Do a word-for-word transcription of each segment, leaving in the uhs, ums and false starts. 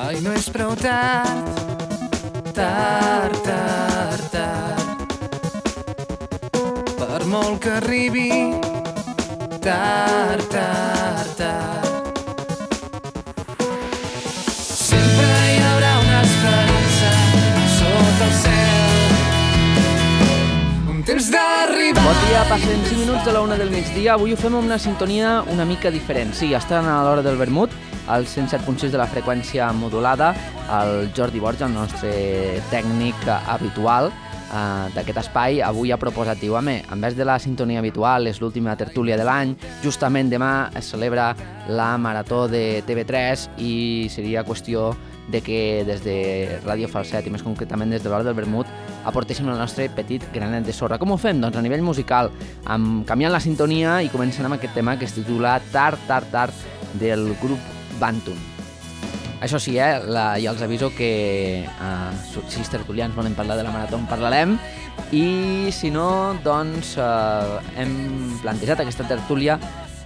Mai no és prou tard, tard, tard, tard. Per molt que arribi, tard, tard, tard. Sempre hi haurà una esperança sota el cel. Un temps d'arribar. Bon dia, passen cinc minuts de la una del migdia. Avui ho fem amb una sintonia una mica diferent. Sí, estan a l'hora del vermut, al cent set punt sis de la freqüència modulada, el Jordi Borja, el nostre tècnic habitual eh, d'aquest espai, avui ha proposat, diu, home, en vez de la sintonia habitual, és l'última tertúlia de l'any, justament demà es celebra la Marató de T V tres i seria qüestió de que des de Ràdio Falset, i més concretament des de l'hora del vermut, aportéssim el nostre petit granet de sorra. Com ho fem? Doncs a nivell musical, amb, canviant la sintonia i començant amb aquest tema que es titula Tard, Tard, Tard, del grup Bantum. Això sí, eh, la, ja els aviso que eh, si els tertulians volen parlar de la Marató en parlarem, i si no, doncs eh, hem plantejat aquesta tertúlia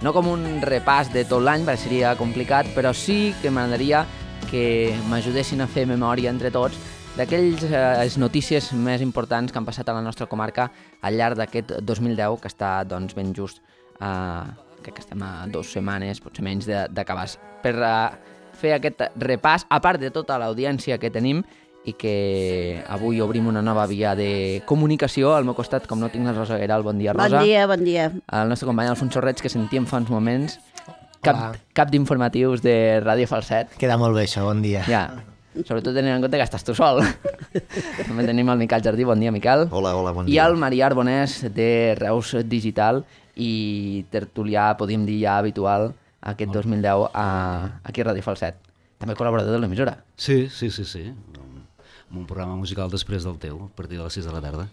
no com un repàs de tot l'any, perquè seria complicat, però sí que m'agradaria que m'ajudessin a fer memòria entre tots d'aquelles eh, notícies més importants que han passat a la nostra comarca al llarg d'aquest dos mil deu, que està doncs, ben just, eh, crec que estem a dues setmanes, potser menys, d'acabar. Per eh, fer aquest repàs, a part de tota l'audiència que tenim, i que avui obrim una nova via de comunicació. Al meu costat, com no tinc la Rosa Guerau, bon dia, Rosa. Bon dia, bon dia. El nostre company Alfonso Reig, que sentíem fa uns moments, cap, cap d'informatius de Ràdio Falset. Queda molt bé això, bon dia. Ja, sobretot tenint en compte que estàs tu sol. També tenim el Miquel Jardí, bon dia, Miquel. Hola, hola, bon I dia. el Marià Arbonès, de Reus Digital, i tertulià, podríem dir ja habitual, aquest dos mil deu a, aquí a Ràdio Falset. També col·laborador de l'emissora. Sí, sí, sí, sí. Amb un programa musical després del teu, a partir de les sis de la tarda.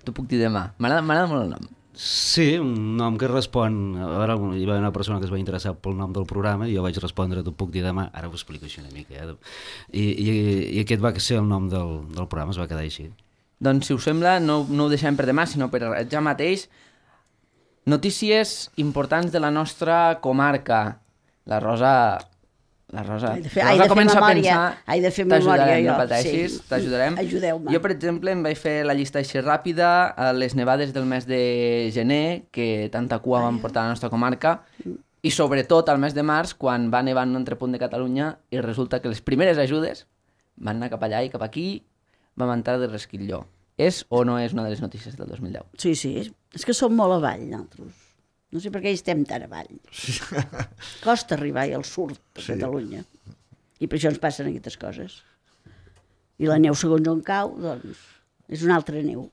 T'ho puc dir demà. M'agrada molt el nom. Sí, un nom que respon... A veure, hi va haver una persona que es va interessar pel nom del programa i jo vaig respondre, t'ho puc dir demà, ara ho explico així una mica. Eh? I, i, I aquest va ser el nom del, del programa, es va quedar així. Doncs, si us sembla, no, no ho deixem per demà, sinó per ja mateix. Notícies importants de la nostra comarca. La Rosa... La Rosa, Hai de fer, la Rosa de comença fer memòria, a pensar... Hai de fer memòria, jo. No pateixis, Sí. t'ajudarem. Ajudeu-me. Jo, per exemple, em vaig fer la llista així ràpida, a les nevades del mes de gener, que tanta cua van portar a la nostra comarca, i sobretot al mes de març, quan va nevar en un altre punt de Catalunya, i resulta que les primeres ajudes van anar cap allà i cap aquí, vam entrar de resquitlló. És o no és una de les notícies del dos mil deu? Sí, sí, és que som molt avall, nosaltres. No sé per què hi estem tan avall. Costa arribar al sud de Sí. Catalunya. I per això ens passen aquestes coses. I la neu, segons on cau, doncs, és una altra neu.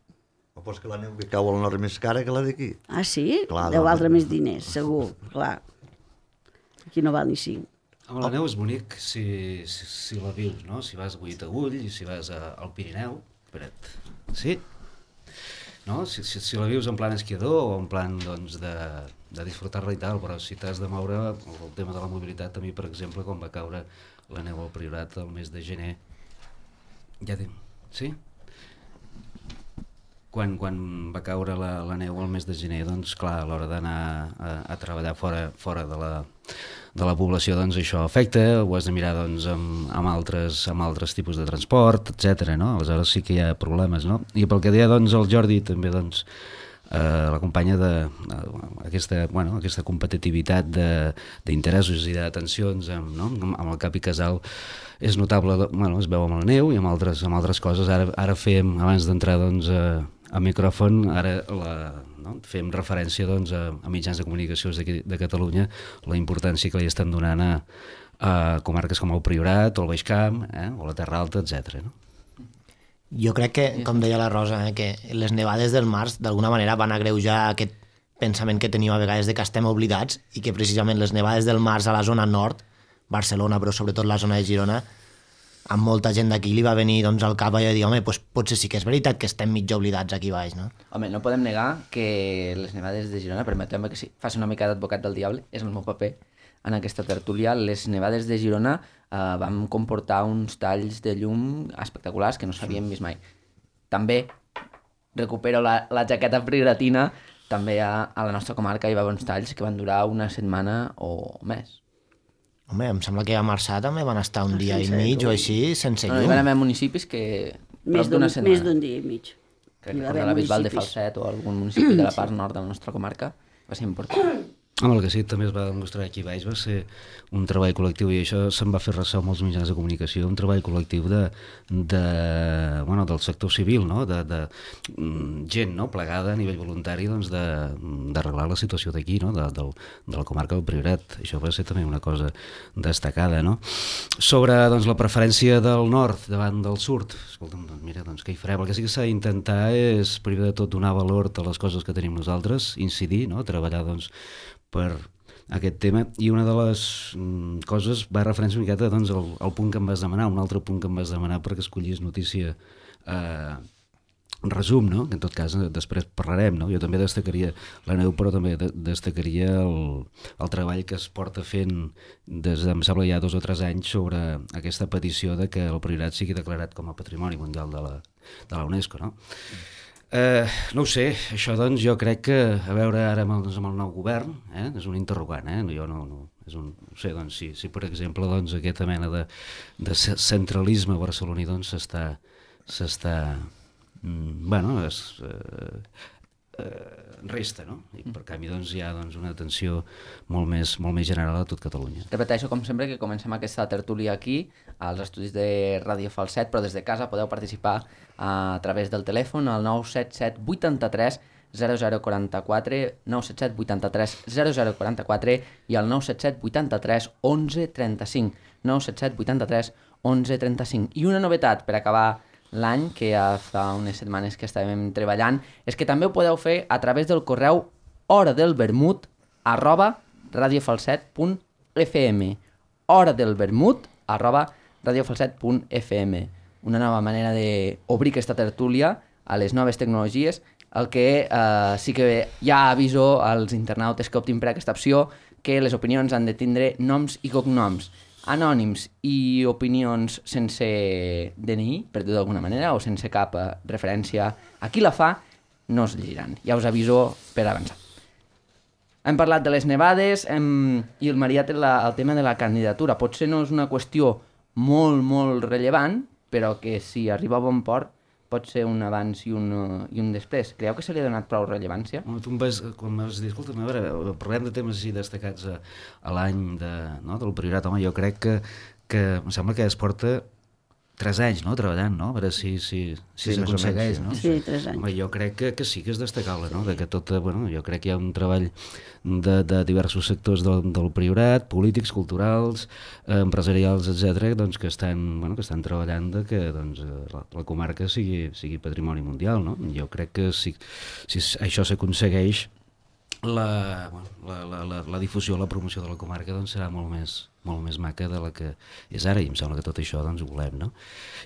O pues que la neu que cau al nord és més cara que la d'aquí. Ah, sí? Clar, Deu no. valdre més diners, segur, clar. Aquí no val ni cinc. Amb la neu és bonic si, si, si la vius, no? Si vas a Guitagull i si vas a, al Pirineu, espera't, sí? No? Si, si, si la vius en plan esquiador o en plan doncs, de, de disfrutar-la i tal, però si t'has de moure, el tema de la mobilitat, a mi, per exemple, quan va caure la neu al Priorat el mes de gener, ja dic, sí? Quan, quan va caure la, la neu al mes de gener, doncs clar, a l'hora d'anar a, a treballar fora, fora de, la, de la població, doncs això afecta, ho has de mirar doncs, amb, amb, altres, amb altres tipus de transport, etcètera. No? Aleshores sí que hi ha problemes. No? I pel que deia doncs, el Jordi, també doncs, eh, l'acompanya d'aquesta bueno, aquesta competitivitat d'interessos i d'atencions amb, no? amb el cap i casal és notable, bueno, es veu amb la neu i amb altres, amb altres coses. Ara, ara fem, abans d'entrar doncs, a, a micròfon, ara la, no? fem referència doncs, a, a mitjans de comunicació de, de Catalunya, la importància que li estan donant a, a comarques com el Priorat o el Baix Camp, eh? o la Terra Alta, etcètera. No? Jo crec que, com deia la Rosa, eh, que les nevades del març d'alguna manera van agreujar aquest pensament que tenim a vegades de que estem oblidats i que precisament les nevades del març a la zona nord, Barcelona, però sobretot la zona de Girona, amb molta gent d'aquí li va venir doncs, al cap i va dir, home, doncs potser sí que és veritat que estem mig oblidats aquí baix, no? Home, no podem negar que les nevades de Girona, permeteu-me que sí, faci una mica d'advocat del diable, és el meu paper en aquesta tertúlia. Les nevades de Girona eh, van comportar uns talls de llum espectaculars que no s'havien vist mai. També recupero la, la jaqueta prioratina, també a, a la nostra comarca hi va haver uns talls que van durar una setmana o més. Home, em sembla que a Marçà també van estar un Ah, dia i sense mig llum. o així, sense No, hi llum. van haver municipis que... Més prop d'una d'un setmana. més d'un dia i mig. Crec Hi que va com haver la Bisbal de municipis. Falset o algun municipi de la part nord de la nostra comarca va ser important. Home, el que sí també es va demostrar aquí baix va ser un treball col·lectiu, i això se'n va fer ressò amb els mitjans de comunicació, un treball col·lectiu de, de, bueno, del sector civil, no? de, de mm, gent, no? plegada a nivell voluntari doncs, de- d'arreglar la situació d'aquí, no? de, del, de la comarca del Priorat. Això va ser també una cosa destacada. No? Sobre doncs, la preferència del nord davant del sud, escolta'm, doncs, mira, doncs, què hi farem? El que sí que s'ha d'intentar és, primer de tot, donar valor a les coses que tenim nosaltres, incidir, no? treballar doncs, per aquest tema, i una de les mm, coses va referència una miqueta doncs, al, al punt que em vas demanar, un altre punt que em vas demanar perquè escollís notícia eh, resum, no? que en tot cas eh, després parlarem, no? Jo també destacaria la neu, però també de destacaria el, el treball que es porta fent des de, em sembla, ja dos o tres anys sobre aquesta petició de que el Priorat sigui declarat com a Patrimoni Mundial de la, de la UNESCO, no? Eh, no ho sé, això doncs jo crec que a veure ara amb el, doncs, amb el nou govern eh, és un interrogant, eh? jo no, no, és un, no sé, doncs si, si per exemple doncs, aquesta mena de, de centralisme barceloní doncs s'està s'està mm, bueno, es, eh, eh, resta, no? I per canvi doncs, hi ha doncs, una atenció molt més, molt més general a tot Catalunya. Repeteixo, com sempre, que comencem aquesta tertúlia aquí, als estudis de Ràdio Falset, però des de casa podeu participar a través del telèfon al nou set set vuitanta-tres zero zero quaranta-quatre, nou set set vuitanta-tres zero zero quaranta-quatre i al nou set set vuitanta-tres onze trenta-cinc, nou set set vuitanta-tres onze trenta-cinc. I una novetat per acabar l'any, que ja fa unes setmanes que estàvem treballant, és que també ho podeu fer a través del correu hora del vermut arroba radiofalset punt f m, hora del vermut arroba radiofalset punt f m. Una nova manera d'obrir aquesta tertúlia a les noves tecnologies, el que eh, sí que ja aviso als internautes que optin per aquesta opció que les opinions han de tindre noms i cognoms anònims i opinions sense D N I, per dir-ho d'alguna manera, o sense cap eh, referència a qui la fa, no es llegiran. Ja us aviso per avançar. Hem parlat de les nevades hem... i el Marià té la, el tema de la candidatura. Potser no és una qüestió molt, molt rellevant, però que si arriba a bon port pot ser un abans i un, uh, i un després. Creieu que se li ha donat prou rellevància? Home, tu em vas, quan m'has dit, escolta, a veure, parlem de temes així destacats a, a l'any de, no, del Priorat, home, jo crec que, que em sembla que es porta tres anys, no?, treballant, no?, a veure si si, si Sí, més o s'aconsegueix, menys, no? Sí, tres anys. Home, jo crec que, que sí que és destacable, no?, de que tot, bueno, jo crec que hi ha un treball de, de diversos sectors del, del Priorat, polítics, culturals, eh, empresarials, etcètera, doncs que estan, bueno, que estan treballant de que doncs, la, la comarca sigui, sigui patrimoni mundial, no? Jo crec que si, si això s'aconsegueix, la, bueno, la, la, la, la difusió, la promoció de la comarca doncs, serà molt més, molt més maca de la que és ara, i em sembla que tot això doncs, ho volem, no?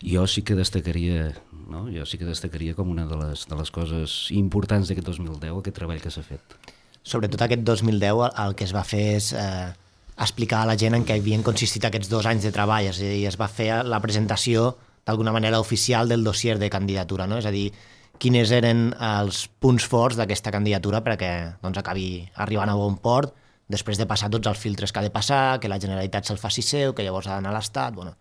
Jo sí que destacaria, no? Jo sí que destacaria com una de les, de les coses importants d'aquest dos mil deu, aquest treball que s'ha fet. Sobretot aquest dos mil deu el que es va fer és eh, explicar a la gent en què havien consistit aquests dos anys de treball, és a dir, es va fer la presentació d'alguna manera oficial del dossier de candidatura, no? És a dir, quines eren els punts forts d'aquesta candidatura perquè doncs, acabi arribant a bon port, després de passar tots els filtres que ha de passar, que la Generalitat se'l faci seu, que llavors ha d'anar a l'Estat, bueno,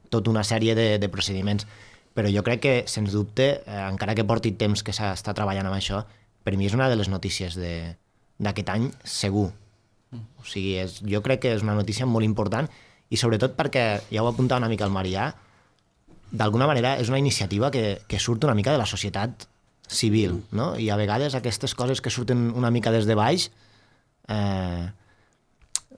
tota una sèrie de, de procediments. Però jo crec que, sens dubte, eh, encara que porti temps que s'està treballant amb això, per mi és una de les notícies d'aquest any segur. O sigui, és, jo crec que és una notícia molt important i sobretot perquè, ja ho apuntava una mica el Marià, d'alguna manera és una iniciativa que, que surt una mica de la societat civil, no? I a vegades aquestes coses que surten una mica des de baix eh,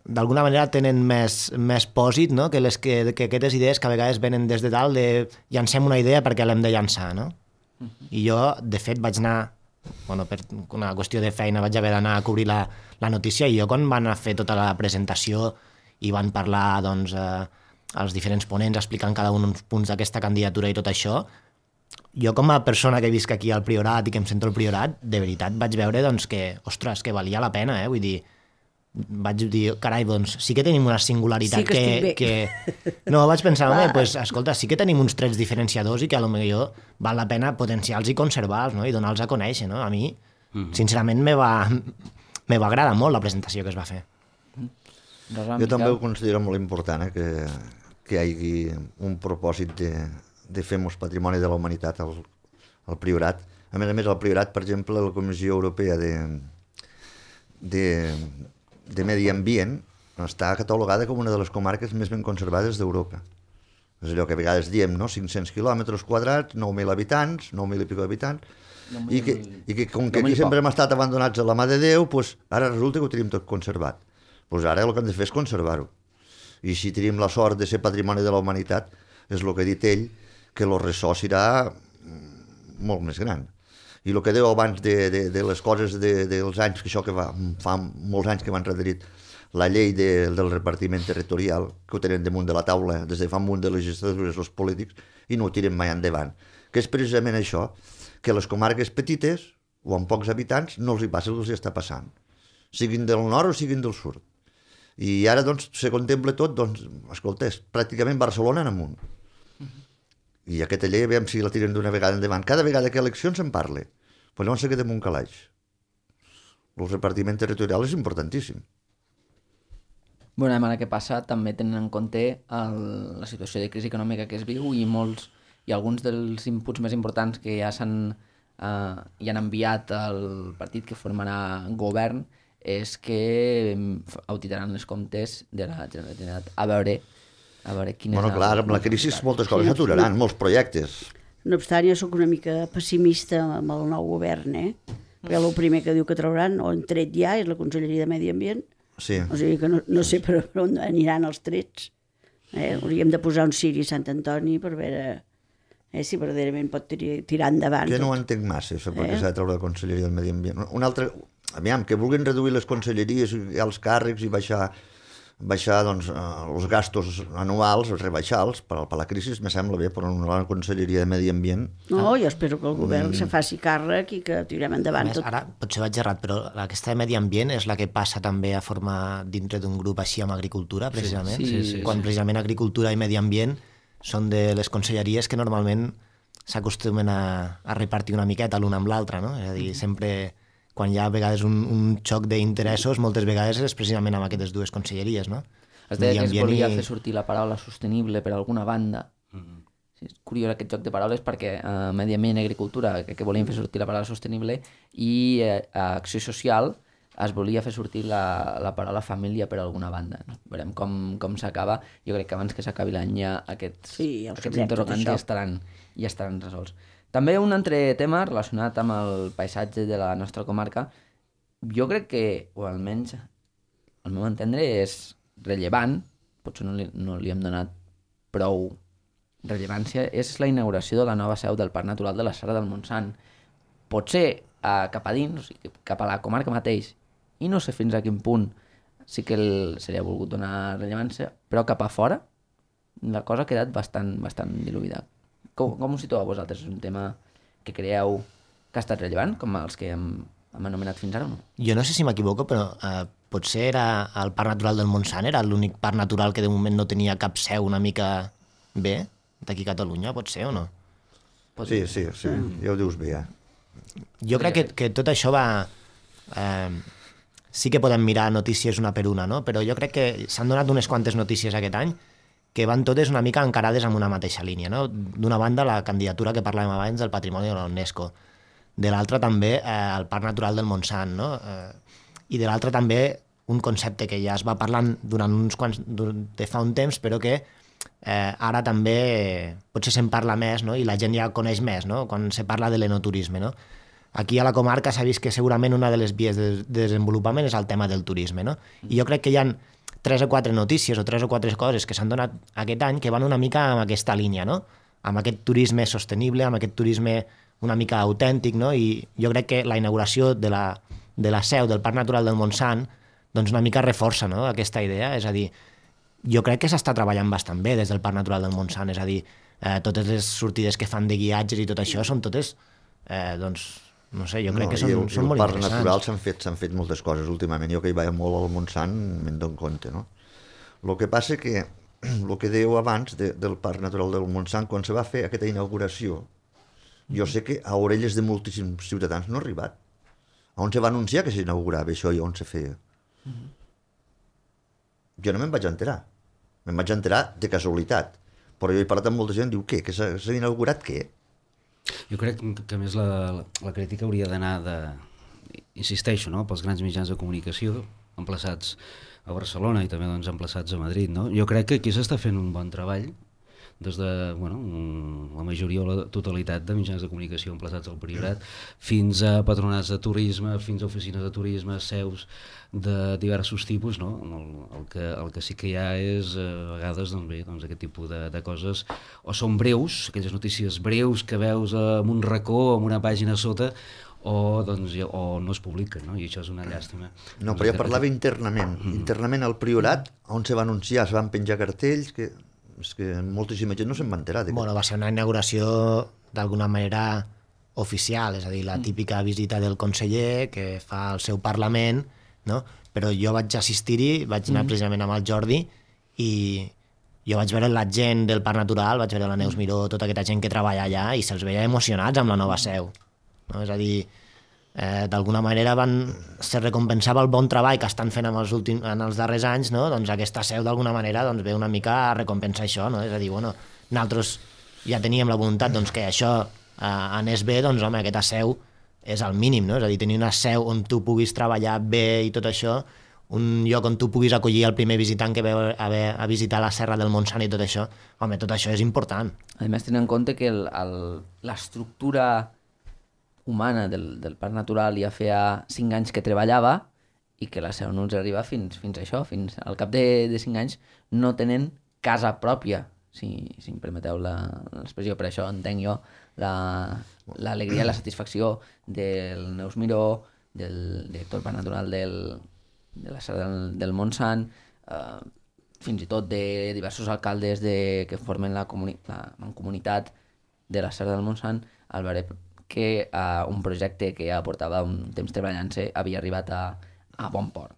d'alguna manera tenen més, més pòsit, no? que, les que, que aquestes idees que a vegades venen des de dalt de llancem una idea perquè l'hem de llançar, no? I jo, de fet, vaig anar, bueno, per una qüestió de feina vaig haver d'anar a cobrir la, la notícia, i jo quan van a fer tota la presentació i van parlar, doncs, eh, els diferents ponents explicant cada un uns punts d'aquesta candidatura i tot això, jo com a persona que visc aquí al Priorat i que em sento al Priorat, de veritat vaig veure doncs, que, ostres, que valia la pena, eh? Vull dir, vaig dir, carai, doncs sí que tenim una singularitat Sí que estic bé. que... No, vaig pensar, home, pues, escolta, sí que tenim uns trets diferenciadors i que a lo millor val la pena potenciar-los i conservar-los, no? I donar-los a conèixer, no? A mi, mm-hmm. sincerament, me va, me va agradar molt la presentació que es va fer. Rosa, Jo també Miquel? ho considero molt important, eh, que, que hi hagi un propòsit de, de fer molts patrimoni de la humanitat al, al Priorat. A més a més, al Priorat, per exemple, la Comissió Europea de, de, de Medi Ambient està catalogada com una de les comarques més ben conservades d'Europa. És allò que a vegades diem, no? cinc-cents quilòmetres quadrats, nou mil habitants, nou mil i pico habitants, i que, i que com que aquí sempre hem estat abandonats a la mà de Déu, pues, ara resulta que ho tenim tot conservat. Pues ara el que hem de fer és conservar-ho. I si tenim la sort de ser patrimoni de la humanitat, és el que ha dit ell, que el ressò serà molt més gran. I el que deu abans de, de, de les coses de, dels anys, que això que va, fa molts anys que m'han rederit, la llei de, del repartiment territorial, que ho tenen damunt de la taula des de fa un munt de legislatures els polítics, i no ho tiren mai endavant. Que és precisament això, que les comarques petites, o amb pocs habitants, no els hi passa el que els està passant. Siguin del nord o siguin del sud. I ara, doncs, se contempla tot, doncs, escolta, és pràcticament Barcelona en amunt. I aquesta llei, veiem si la tiren d'una vegada endavant. Cada vegada que eleccions se'n parla. Però llavors se queda en un calaix. El repartiment territorial és importantíssim. Bueno, ara què passa, també tenen en compte el, la situació de crisi econòmica que es viu i molts i alguns dels inputs més importants que ja s'han eh, ja han enviat al partit que formarà govern és que auditaran els comptes de la Generalitat a veure, a veure quin Bueno, és clar, el... amb la crisi moltes coses s'aturaran, molts projectes. No obstant, jo sóc una mica pessimista amb el nou govern, eh? Perquè el primer que diu que trauran, o han tret ja, és la Conselleria de Medi Ambient. Sí. O sigui que no, no sé per on aniran els trets. Eh? Hauríem de posar un ciri a Sant Antoni per veure eh, si verdaderament pot tirar, tirar endavant. Que no ho tot. entenc massa, això, perquè Eh? s'ha de treure la Conselleria del Medi Ambient. Un altre, aviam, que vulguin reduir les conselleries i els càrrecs i baixar, baixar doncs, els gastos anuals, rebaixar-los per, per la crisi, me sembla bé, però una Conselleria de Medi Ambient... No, jo espero que el govern mm. se faci càrrec i que tirem endavant Més, tot. ara potser vaig errat, però aquesta de medi ambient és la que passa també a formar dintre d'un grup així amb agricultura, precisament. Sí, sí, sí, Quan sí. precisament agricultura i medi ambient són de les conselleries que normalment s'acostumen a, a repartir una miqueta l'una amb l'altra, no? És a dir, sempre quan hi ha a vegades un, un xoc d'interessos, moltes vegades és precisament amb aquestes dues conselleries, no? Es deia que es Medi volia ambient i- fer sortir la paraula sostenible per alguna banda. Mm-hmm. Sí, és curiós aquest joc de paraules perquè eh, Medi Ambient i Agricultura que, que volien fer sortir la paraula sostenible i eh, a Acció Social es volia fer sortir la, la paraula família per alguna banda. No? Veurem com, com s'acaba. Jo crec que abans que s'acabi l'any ja aquests, Sí, ja ho aquests sabrem, tot interrogants això. ja estaran, ja estaran resolts. També un altre tema relacionat amb el paisatge de la nostra comarca, jo crec que, o almenys al meu entendre, és rellevant, potser no li, no li hem donat prou rellevància, és la inauguració de la nova seu del Parc Natural de la Serra del Montsant. Potser a, cap a dins, o sigui, cap a la comarca mateix, i no sé fins a quin punt sí que el, se li ha volgut donar rellevància, però cap a fora la cosa ha quedat bastant, bastant diluïda. Com, com ho situeu vosaltres? És un tema que creieu que ha estat rellevant, com els que hem, hem anomenat fins ara o no? Jo no sé si m'equivoco, però eh, potser era el Parc Natural del Montsant, era l'únic parc natural que de moment no tenia cap seu una mica bé, d'aquí a Catalunya, pot ser o no? Sí, sí, sí, ja ho dius bé, ja. Jo crec que, que tot això va... Eh, sí que podem mirar notícies una per una, no? Però jo crec que s'han donat unes quantes notícies aquest any que van totes una mica encarades amb una mateixa línia, no? D'una banda, la candidatura que parlàvem abans del patrimoni de la UNESCO, de l'altra també eh, el Parc Natural del Montsant, no? Eh, i de l'altra també un concepte que ja es va parlant durant uns quants, de fa un temps, però que eh, ara també potser se'n parla més, no? I la gent ja coneix més, no? Quan se parla de l'enoturisme, no? Aquí a la comarca s'ha vist que segurament una de les vies de desenvolupament és el tema del turisme, no? I jo crec que hi ha tres o quatre notícies o tres o quatre coses que s'han donat aquest any que van una mica en aquesta línia, no? Amb aquest turisme sostenible, amb aquest turisme una mica autèntic, no? I jo crec que la inauguració de la, de la seu del Parc Natural del Montsant doncs una mica reforça, no?, aquesta idea. És a dir, jo crec que s'està treballant bastant bé des del Parc Natural del Montsant, és a dir, eh, totes les sortides que fan de guiatges i tot això són totes, eh, doncs, no sé, jo crec No, que són, i el, són i el molt parc interessants. natural s'han fet, s'han fet moltes coses últimament. Jo que hi vaig molt al Montsant me'n dono compte, no? El que passa que el que dèieu abans de, del Parc Natural del Montsant, quan se va fer aquesta inauguració, jo sé que a orelles de moltíssims ciutadans no ha arribat. On se va anunciar que s'inaugurava això i on se feia? Jo no me'n vaig enterar. Me'n vaig enterar de casualitat. Però jo he parlat amb molta gent, diu, què? Que s'ha inaugurat què? Jo crec que, que a més la, la, la crítica hauria d'anar de... Insisteixo, no?, pels grans mitjans de comunicació emplaçats a Barcelona i també doncs, emplaçats a Madrid. No? Jo crec que aquí s'està fent un bon treball des de bueno, la majoria o la totalitat de mitjans de comunicació emplaçats al Priorat, fins a patronats de turisme, fins a oficines de turisme, seus de diversos tipus. No? El, el, que, el que sí que hi ha és, a vegades, doncs bé, doncs aquest tipus de, de coses, o són breus, aquelles notícies breus que veus en un racó, en una pàgina a sota, o, doncs, o no es publiquen, no? I això és una llàstima. No, però jo parlava internament. Internament al Priorat, on se va anunciar, es van penjar cartells, que és que moltíssima gent no se'n va enterar. Bueno, va ser una inauguració d'alguna manera oficial, és a dir, la típica visita del conseller que fa al seu Parlament, no? Però jo vaig assistir-hi, vaig anar precisament amb el Jordi i jo vaig veure la gent del Parc Natural, vaig veure la Neus Miró, tota aquesta gent que treballa allà i se'ls veia emocionats amb la nova seu. No? És a dir, eh, d'alguna manera van, se recompensava el bon treball que estan fent en els, últims, en els darrers anys, no? Doncs aquesta seu d'alguna manera doncs, ve una mica a recompensar això, no? És a dir, bueno, nosaltres ja teníem la voluntat doncs, que això eh, anés bé, doncs home, aquesta seu és el mínim, no? És a dir, tenir una seu on tu puguis treballar bé i tot això, un lloc on tu puguis acollir el primer visitant que ve a, a visitar la Serra del Montsant i tot això, home, tot això és important. A més, tenint en compte que l'estructura humana del, del Parc Natural ja feia cinc anys que treballava i que la seu no ens arriba fins, fins a això, fins al cap de, de cinc anys no tenen casa pròpia, si, si em permeteu l'expressió. Per això entenc jo l'alegria la, i la satisfacció del Neus Miró, del director del Parc Natural del, de la Serra del, del Montsant, eh, fins i tot de diversos alcaldes de, que formen la, comuni, la mancomunitat de la Serra del Montsant, al veure que uh, un projecte que ja portava un temps treballant-se havia arribat a, a bon port.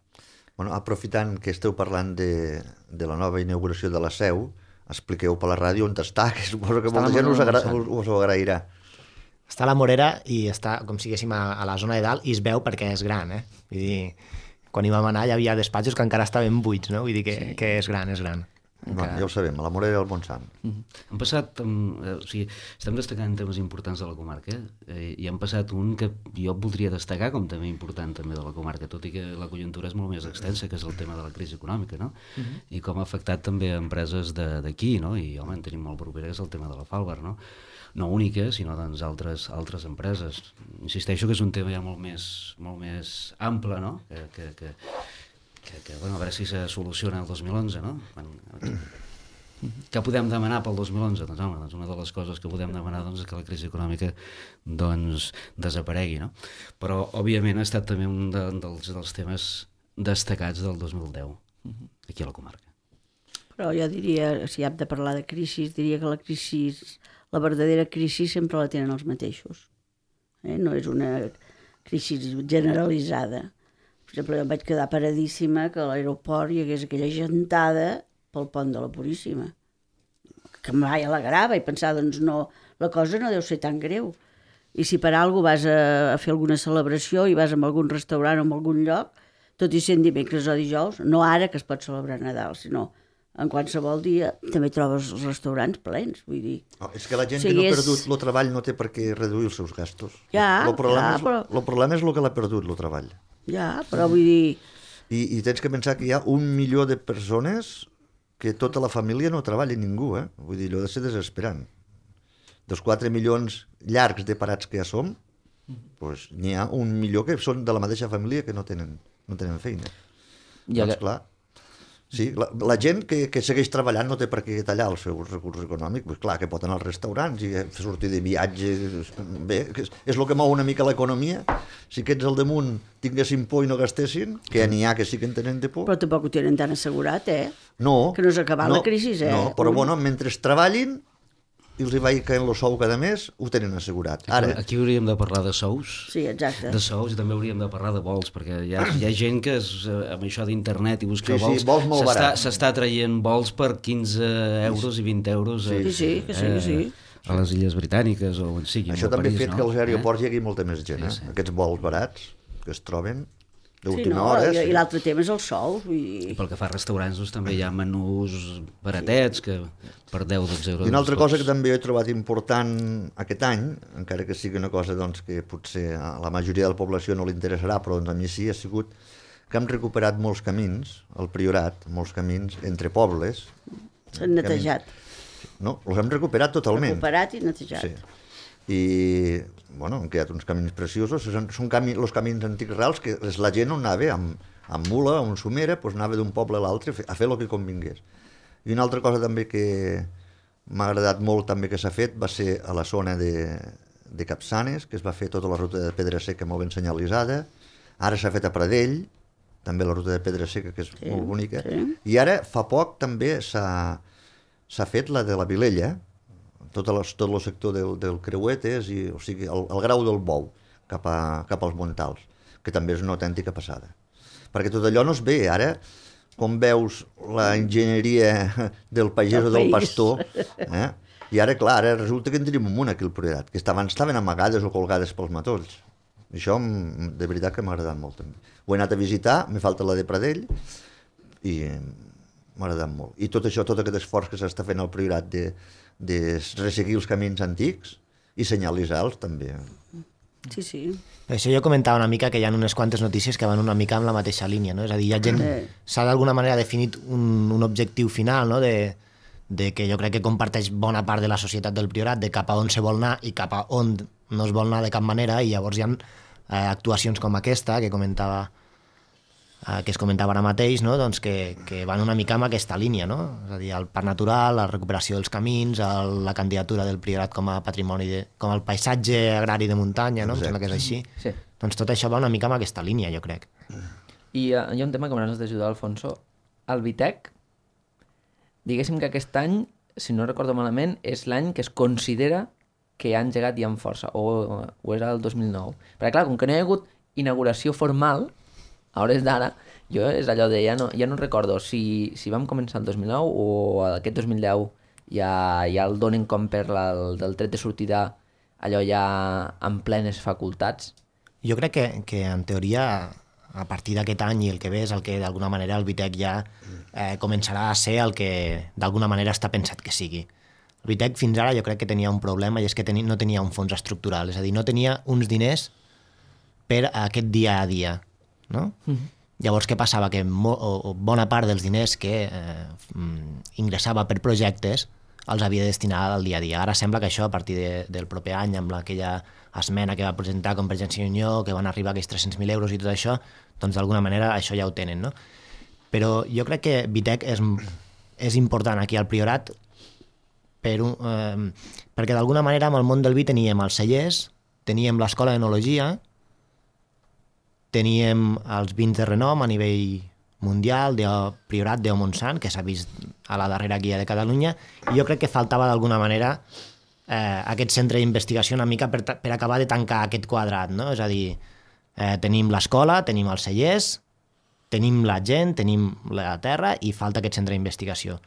Bueno, aprofitant que esteu parlant de, de la nova inauguració de la seu, expliqueu per la ràdio on està, que suposo que està molta gent us, agra us, us ho agrairà. Està a la Morera i està, com si diguéssim, a, a la zona de dalt i es veu perquè és gran, eh? Vull dir, quan hi vam anar hi havia despatxos que encara estaven buits, no? Vull dir que, sí. que és gran, és gran. Bueno, ja ho sabem, a la Morera i al Montsant. Mm-hmm. Han passat, um, eh, o sigui, estem destacant temes importants de la comarca eh, i han passat un que jo voldria destacar com també important també de la comarca, tot i que la conjuntura és molt més extensa, que és el tema de la crisi econòmica, no? Mm-hmm. I com ha afectat també a empreses d'aquí, no? I home, en tenim molt propera, que és el tema de la Falbar, no? No única, sinó doncs altres, altres empreses. Insisteixo que és un tema ja molt més, molt més ample, no? Que, que, que, que, que bueno, a veure si se soluciona el dos mil onze, no? Quan, què podem demanar pel dos mil onze? Doncs, home, doncs una de les coses que podem demanar doncs, és que la crisi econòmica doncs, desaparegui, no? Però, òbviament, ha estat també un de, dels, dels temes destacats del dos mil deu, aquí a la comarca. Però jo diria, si hem de parlar de crisi, diria que la crisi, la verdadera crisi sempre la tenen els mateixos. Eh? No és una crisi generalitzada. Per exemple, em vaig quedar paradíssima que a l'aeroport hi hagués aquella gentada pel pont de la Puríssima, que em vaig alegrava i pensava, doncs no, la cosa no deu ser tan greu. I si per alguna vas a, a fer alguna celebració i vas a algun restaurant o en algun lloc, tot i sent dimecres o dijous, no ara que es pot celebrar Nadal, sinó en qualsevol dia també trobes els restaurants plens, vull dir. Oh, és que la gent o sigui, que no ha és... perdut el treball no té per què reduir els seus gastos. Ja, el problema, ja, és, però... el problema és el que l'ha perdut, el treball. Ja, però vull dir... I, I tens que pensar que hi ha un milió de persones que tota la família no treballa ningú, eh? Vull dir, allò de ser desesperant. Dels quatre milions llargs de parats que ja som, doncs n'hi ha un milió que són de la mateixa família que no tenen, no tenen feina. Ja doncs que... clar, sí, la, la gent que, que segueix treballant no té per què tallar els seus recursos econòmics, pues clar, que pot anar als restaurants i sortir de viatge, bé, és, és el que mou una mica l'economia. Si aquests al damunt tinguessin por i no gastessin, que n'hi ha que sí que en tenen de por. Però tampoc ho tenen tan assegurat, eh? No. Que no s'ha acabat no, la crisi, eh? No, però Un... bueno, mentre treballin i els hi vagi caient el sou cada mes, ho tenen assegurat. Ara... Aquí hauríem de parlar de sous, sí, exacte. de sous i també hauríem de parlar de vols, perquè hi ha, hi ha gent que és, amb això d'internet i buscar sí, vols, sí, vols molt barat. s'està traient vols per quinze euros i vint euros sí, eh, sí, que sí, que sí. Eh, a les Illes Britàniques o on sigui. Això també ha fet no? que als aeroports eh? hi hagi molta més gent, eh? Sí, sí. Aquests vols barats que es troben d'última sí, no, hora. I, Sí. i l'altre tema és el sou. I I... pel que fa a restaurants, doncs, també hi ha menús baratets que per deu o dotze euros. I una altra cosa pots... que també he trobat important aquest any, encara que sigui una cosa doncs, que potser a la majoria de la població no li interessarà, però doncs, a mi sí, ha sigut que hem recuperat molts camins, al Priorat, molts camins entre pobles. S'han netejat. Camins, no, els hem recuperat totalment. Recuperat i netejat. Sí. I, bueno, han quedat uns camins preciosos. Són, són cami, els camins antics reals que la gent on anava amb, amb mula, amb somera, doncs anava d'un poble a l'altre a fer el que convingués. I una altra cosa també que m'ha agradat molt també que s'ha fet va ser a la zona de, de Capçanes, que es va fer tota la ruta de Pedra Seca molt ben senyalitzada. Ara s'ha fet a Pradell, també la ruta de Pedra Seca, que és sí, molt bonica. Sí. I ara, fa poc, també s'ha fet la de la Vilella, tot el, tot el sector del, del Creuetes, i, o sigui, el, el grau del Bou, cap, a, cap als Montals, que també és una autèntica passada. Perquè tot allò no es ve. Ara, com veus la enginyeria del pagès o del pastor, eh? I ara, clar, ara resulta que en tenim un munt aquí al Priorat, que estaven, estaven amagades o colgades pels matolls. I això, de veritat, que m'ha agradat molt, també. Ho he anat a visitar, me falta la de Pradell, i m'ha agradat molt. I tot això, tot aquest esforç que s'està fent al Priorat de, de resseguir els camins antics i senyalitzar-los, també. Sí, sí. Això jo comentava una mica que hi ha unes quantes notícies que van una mica amb la mateixa línia, no? És a dir, hi ha gent... S'ha d'alguna manera definit un, un objectiu final, no? De, de que jo crec que comparteix bona part de la societat del Priorat, de cap a on se vol anar i cap a on no es vol anar de cap manera, i llavors hi ha eh, actuacions com aquesta que comentava eh, que es comentava ara mateix, no? Doncs que, que van una mica amb aquesta línia, no? És a dir, el parc natural, la recuperació dels camins, el, la candidatura del Priorat com a patrimoni, de, com el paisatge agrari de muntanya, no? Em sembla que és així. Sí. Doncs tot això va una mica amb aquesta línia, jo crec. I uh, hi ha un tema que m'hauràs d'ajudar, Alfonso. El Vitec, diguéssim que aquest any, si no recordo malament, és l'any que es considera que ha engegat ja amb força, o, o era el dos mil nou. Perquè clar, com que no hi ha hagut inauguració formal, a hores d'ara, jo és allò de, ja no, ja no recordo si, si vam començar el dos mil nou o aquest dos mil deu ja, ja el donen com per la, el, del tret de sortida allò ja amb plenes facultats. Jo crec que, que en teoria, a partir d'aquest any i el que ve és el que d'alguna manera el Vitec ja eh, començarà a ser el que d'alguna manera està pensat que sigui. El Vitec fins ara jo crec que tenia un problema, i és que teni, no tenia un fons estructural, és a dir, no tenia uns diners per a aquest dia a dia, no? Mm-hmm. Llavors, què passava? Que mo, o, bona part dels diners que eh, ingressava per projectes els havia de destinar al dia a dia. Ara sembla que això, a partir de, del proper any, amb aquella esmena que va presentar Convergència i Unió, que van arribar a aquells tres-cents mil euros i tot això, doncs d'alguna manera això ja ho tenen, no? Però jo crec que Vitec és, és important aquí al Priorat per un, eh, perquè d'alguna manera amb el món del vi teníem els cellers, teníem l'escola d'enologia, teníem els vins de renom a nivell mundial, de Priorat de Montsant, que s'ha vist a la darrera guia de Catalunya, i jo crec que faltava d'alguna manera eh, aquest centre d'investigació una mica per, per acabar de tancar aquest quadrat, no? És a dir, eh, tenim l'escola, tenim els cellers, tenim la gent, tenim la terra i falta aquest centre d'investigació.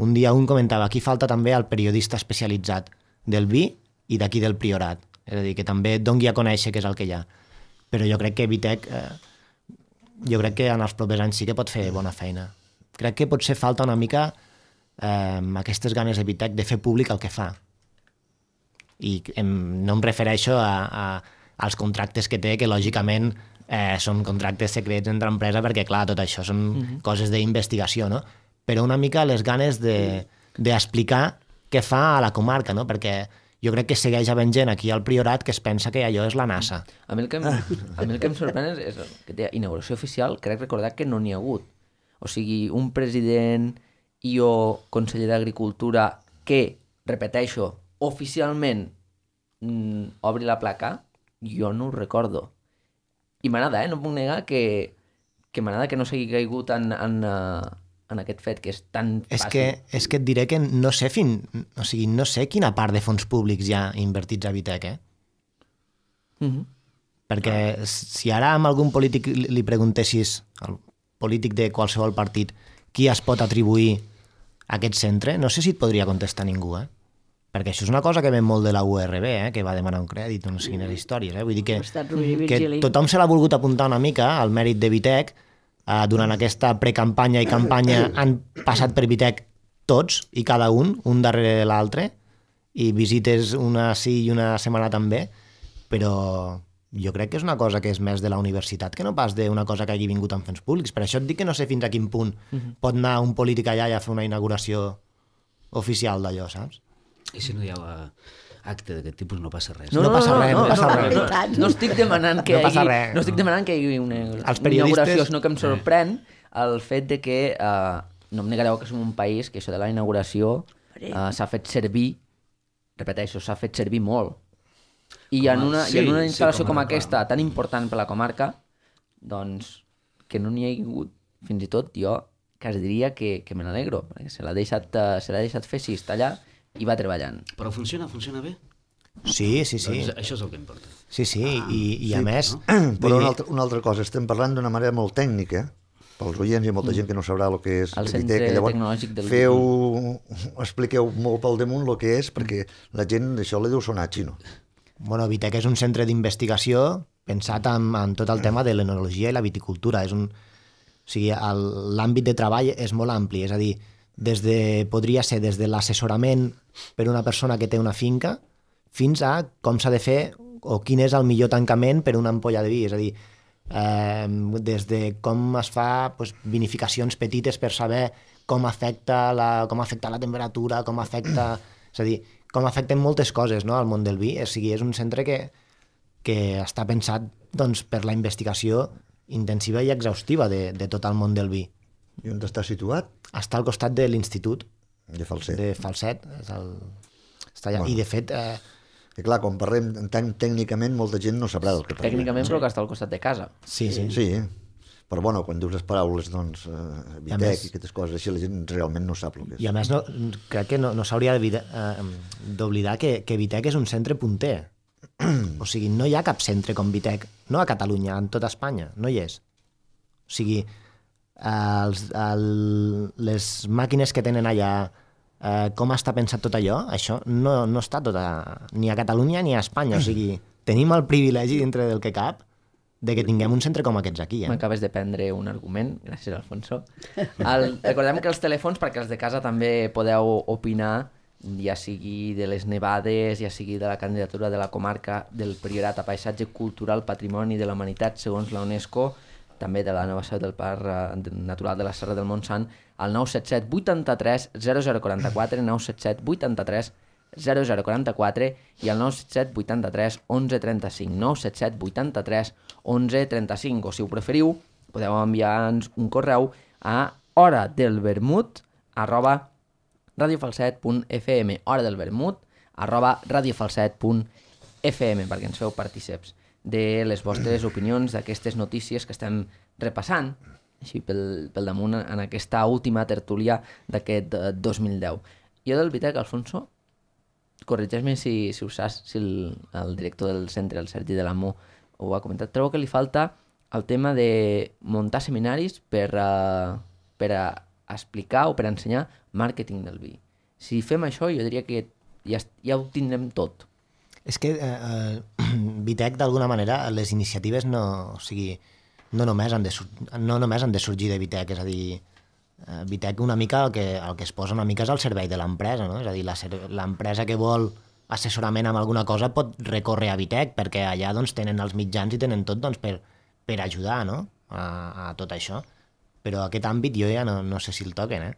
Un dia un comentava, aquí falta també el periodista especialitzat del vi i d'aquí del Priorat, és a dir, que també et doni a conèixer què és el que hi ha. Però jo crec que Vitec, eh, jo crec que en els propers anys sí que pot fer bona feina. Crec que potser falta una mica eh, aquestes ganes de Vitec de fer públic el que fa. I em, no em refereixo a, a, als contractes que té, que lògicament eh, són contractes secrets entre empresa, perquè clar, tot això són mm-hmm. coses d'investigació, no? Però una mica les ganes de, d'explicar què fa a la comarca, no? Perquè jo crec que segueix havent gent aquí al Priorat que es pensa que allò és la NASA. A mi el que em, a mi el que em sorprèn és, és que té inauguració oficial, crec recordar que no n'hi ha hagut. O sigui, un president i o conseller d'Agricultura que, repeteixo, oficialment mm, obri la placa, jo no ho recordo. I m'agrada, eh? No puc negar que, que m'agrada que no s'hagi caigut en, en, en aquest fet, que és tan és fàcil. Que, és que et diré que no sé, fin, o sigui, no sé quina part de fons públics hi ha invertits a Vitec, eh? Mm-hmm. Perquè si ara amb algun polític li preguntessis, al polític de qualsevol partit, qui es pot atribuir a aquest centre, no sé si et podria contestar ningú, eh? perquè això és una cosa que ve molt de la U R B, eh, que va demanar un crèdit, no sé quines històries. Eh? Vull dir que, Estat Rovira i que Virgili. tothom se l'ha volgut apuntar una mica al mèrit de Vitec. Eh, durant aquesta precampanya i campanya han passat per Vitec tots i cada un, un darrere l'altre, i visites una sí i una setmana també, però jo crec que és una cosa que és més de la universitat que no pas d'una cosa que hagi vingut amb fons públics. Per això et dic que no sé fins a quin punt uh-huh. pot anar un polític allà i a fer una inauguració oficial d'allò, saps? I si no hi ha acte d'aquest tipus no passa res. No, no passa res, no passa res. No, no estic demanant que No hi passa hagi, res. no estic demanant que hi hagi una, Els una periodistes- inauguració, sinó que em sorprèn el fet de que, eh, no em negareu que som un país que això de la inauguració eh, s'ha fet servir, repeteixo, s'ha fet servir molt. I Com a- en una, sí, i en una sí, instal·lació com a com reclam. aquesta, tan important per la comarca, doncs, que no n'hi ha hagut, fins i tot jo quasi diria que, que me n'alegro, perquè se l'ha deixat, eh, se l'ha deixat fer sis allà i va treballant. Però funciona, funciona bé? Sí, sí, sí. Doncs això és el que importa. Sí, sí, i, i a més... Però vull una dir, altra, una altra cosa, estem parlant d'una manera molt tècnica, pels oients hi ha molta gent que no sabrà el que és El el Centre Vitec, llavors Tecnològic del feu, expliqueu molt pel damunt el que és, perquè la gent això li deu sonar xino. Bueno, Vitec és un centre d'investigació pensat en, en tot el tema de l'enologia i la viticultura. És un, o sigui, el- l'àmbit de treball és molt ampli, és a dir, des de, podria ser des de l'assessorament per una persona que té una finca fins a com s'ha de fer o quin és el millor tancament per una ampolla de vi. És a dir, eh, des de com es fa pues, vinificacions petites per saber com afecta la, com afecta la temperatura, com afecta... És a dir, com afecten moltes coses, no, al món del vi. O sigui, és un centre que, que està pensat doncs, per la investigació intensiva i exhaustiva de, de tot el món del vi. I on està situat? Està al costat de l'Institut De Falset. de Falset. És el... està allà. Bueno. I, de fet, eh, I clar, quan parlem tan tècnicament, molta gent no sabrà del que parlem. Tècnicament, però que està al costat de casa. sí, sí. Sí, però bueno, quan dius les paraules, doncs, eh, I a Vitec més- i aquestes coses així, la gent realment no sap el que és. I a més, no, crec que no, no s'hauria d'oblidar eh, d'oblidar que, que Vitec és un centre punter. O sigui, no hi ha cap centre com Vitec, no a Catalunya, en tota Espanya, no hi és. O sigui, els, el, les màquines que tenen allà, eh, com està pensat tot allò, això no, no està tot a, ni a Catalunya ni a Espanya. O sigui, tenim el privilegi dintre del que cap de que tinguem un centre com aquests aquí. Eh? M'acabes de prendre un argument, gràcies, Alfonso. El, recordem que els telèfons, perquè els de casa també podeu opinar, ja sigui de les nevades, ja sigui de la candidatura de la comarca del Priorat a Paisatge Cultural, Patrimoni de la Humanitat, segons la UNESCO, també de la nova seu del Parc eh, Natural de la Serra del Montsant, al nou set set vuitanta-tres zero zero quaranta-quatre, nou set set vuitanta-tres zero zero quaranta-quatre i al nou set set vuitanta-tres onze trenta-cinc, nou set set vuitanta-tres onze trenta-cinc, o si ho preferiu, podeu enviar-nos un correu a hora del vermut arroba radiofalset punt f m, hora del vermut arroba radiofalset punt f m, perquè ens feu partíceps de les vostres opinions d'aquestes notícies que estem repassant així pel, pel damunt en aquesta última tertúlia d'aquest eh, dos mil deu. Jo del Vitec, Alfonso, corregeix-me si, si ho saps, si el, el director del centre, el Sergi de l'Amo, ho ha comentat. Trobo que li falta el tema de muntar seminaris per, uh, per a explicar o per a ensenyar màrqueting del vi. Si fem això, jo diria que ja, ja ho tindrem tot. És que eh, eh, Vitec, d'alguna manera, les iniciatives no, o sigui, no, només han de, sur- no només han de sorgir de Vitec, és a dir, eh, Vitec una mica el que, el que es posa una mica és al servei de l'empresa, no? És a dir, la ser- l'empresa que vol assessorament amb alguna cosa pot recórrer a Vitec, perquè allà doncs, tenen els mitjans i tenen tot doncs, per, per ajudar, no? a, a tot això. Però aquest àmbit jo ja no, no sé si el toquen, eh?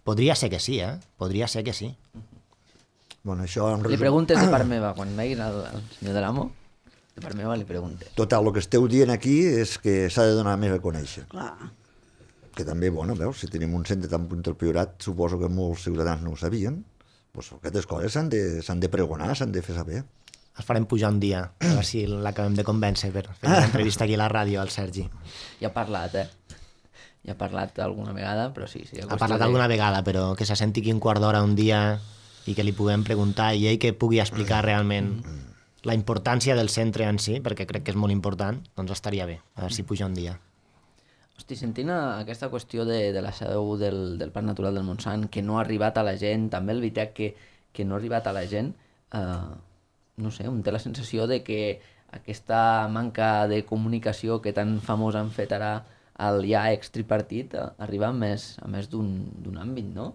Podria ser que sí, eh? Podria ser que sí. Bueno, això en Li resum... preguntes de part meva, quan veguis el, el senyor de l'Amo, de part meva li preguntes. Total, el que esteu dient aquí és que s'ha de donar més a conèixer. Clar. Que també, bueno, veus, si tenim un centre tan punt del Priorat, suposo que molts ciutadans no ho sabien, doncs aquestes coses s'han de, s'han de pregonar, s'han de fer saber. Els farem pujar un dia, a veure si l'acabem de convèncer per fer una entrevista aquí a la ràdio al Sergi. Ja ha parlat, eh? Ja ha parlat alguna vegada, però sí. sí Ha parlat alguna vegada, però que se senti aquí un quart d'hora un dia i que li puguem preguntar i ell que pugui explicar realment la importància del centre en si, perquè crec que és molt important, doncs estaria bé, a veure si puja un dia. Hosti, sentint a- aquesta qüestió de, de la seu del, del Parc Natural del Montsant, que no ha arribat a la gent, també el Vitec, que, que no ha arribat a la gent, eh, no sé, un té la sensació de que aquesta manca de comunicació que tan famós han fet ara el ja ex-tripartit eh, arriba a més, a més d'un àmbit, no?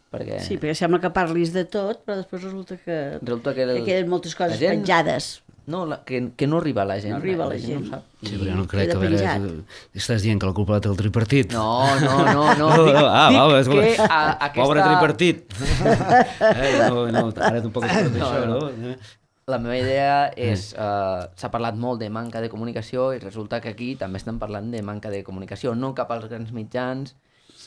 Perquè... Sí, perquè sembla que parlis de tot, però després resulta que, resulta que, el... que queden moltes coses gent... penjades. No, la, que, que no arriba a la gent. No arriba a la, la gent. gent. No ho sap. Sí, però jo no crec que... A veure, estàs dient que la culpa la té el tripartit? No, no, no, no. Dic, ah, dic va, és, que a, aquesta... Pobre tripartit. eh, no, no, ara tampoc es pot no, això, no? no? La meva idea és... Uh, s'ha parlat molt de manca de comunicació i resulta que aquí també estem parlant de manca de comunicació, no cap als grans mitjans,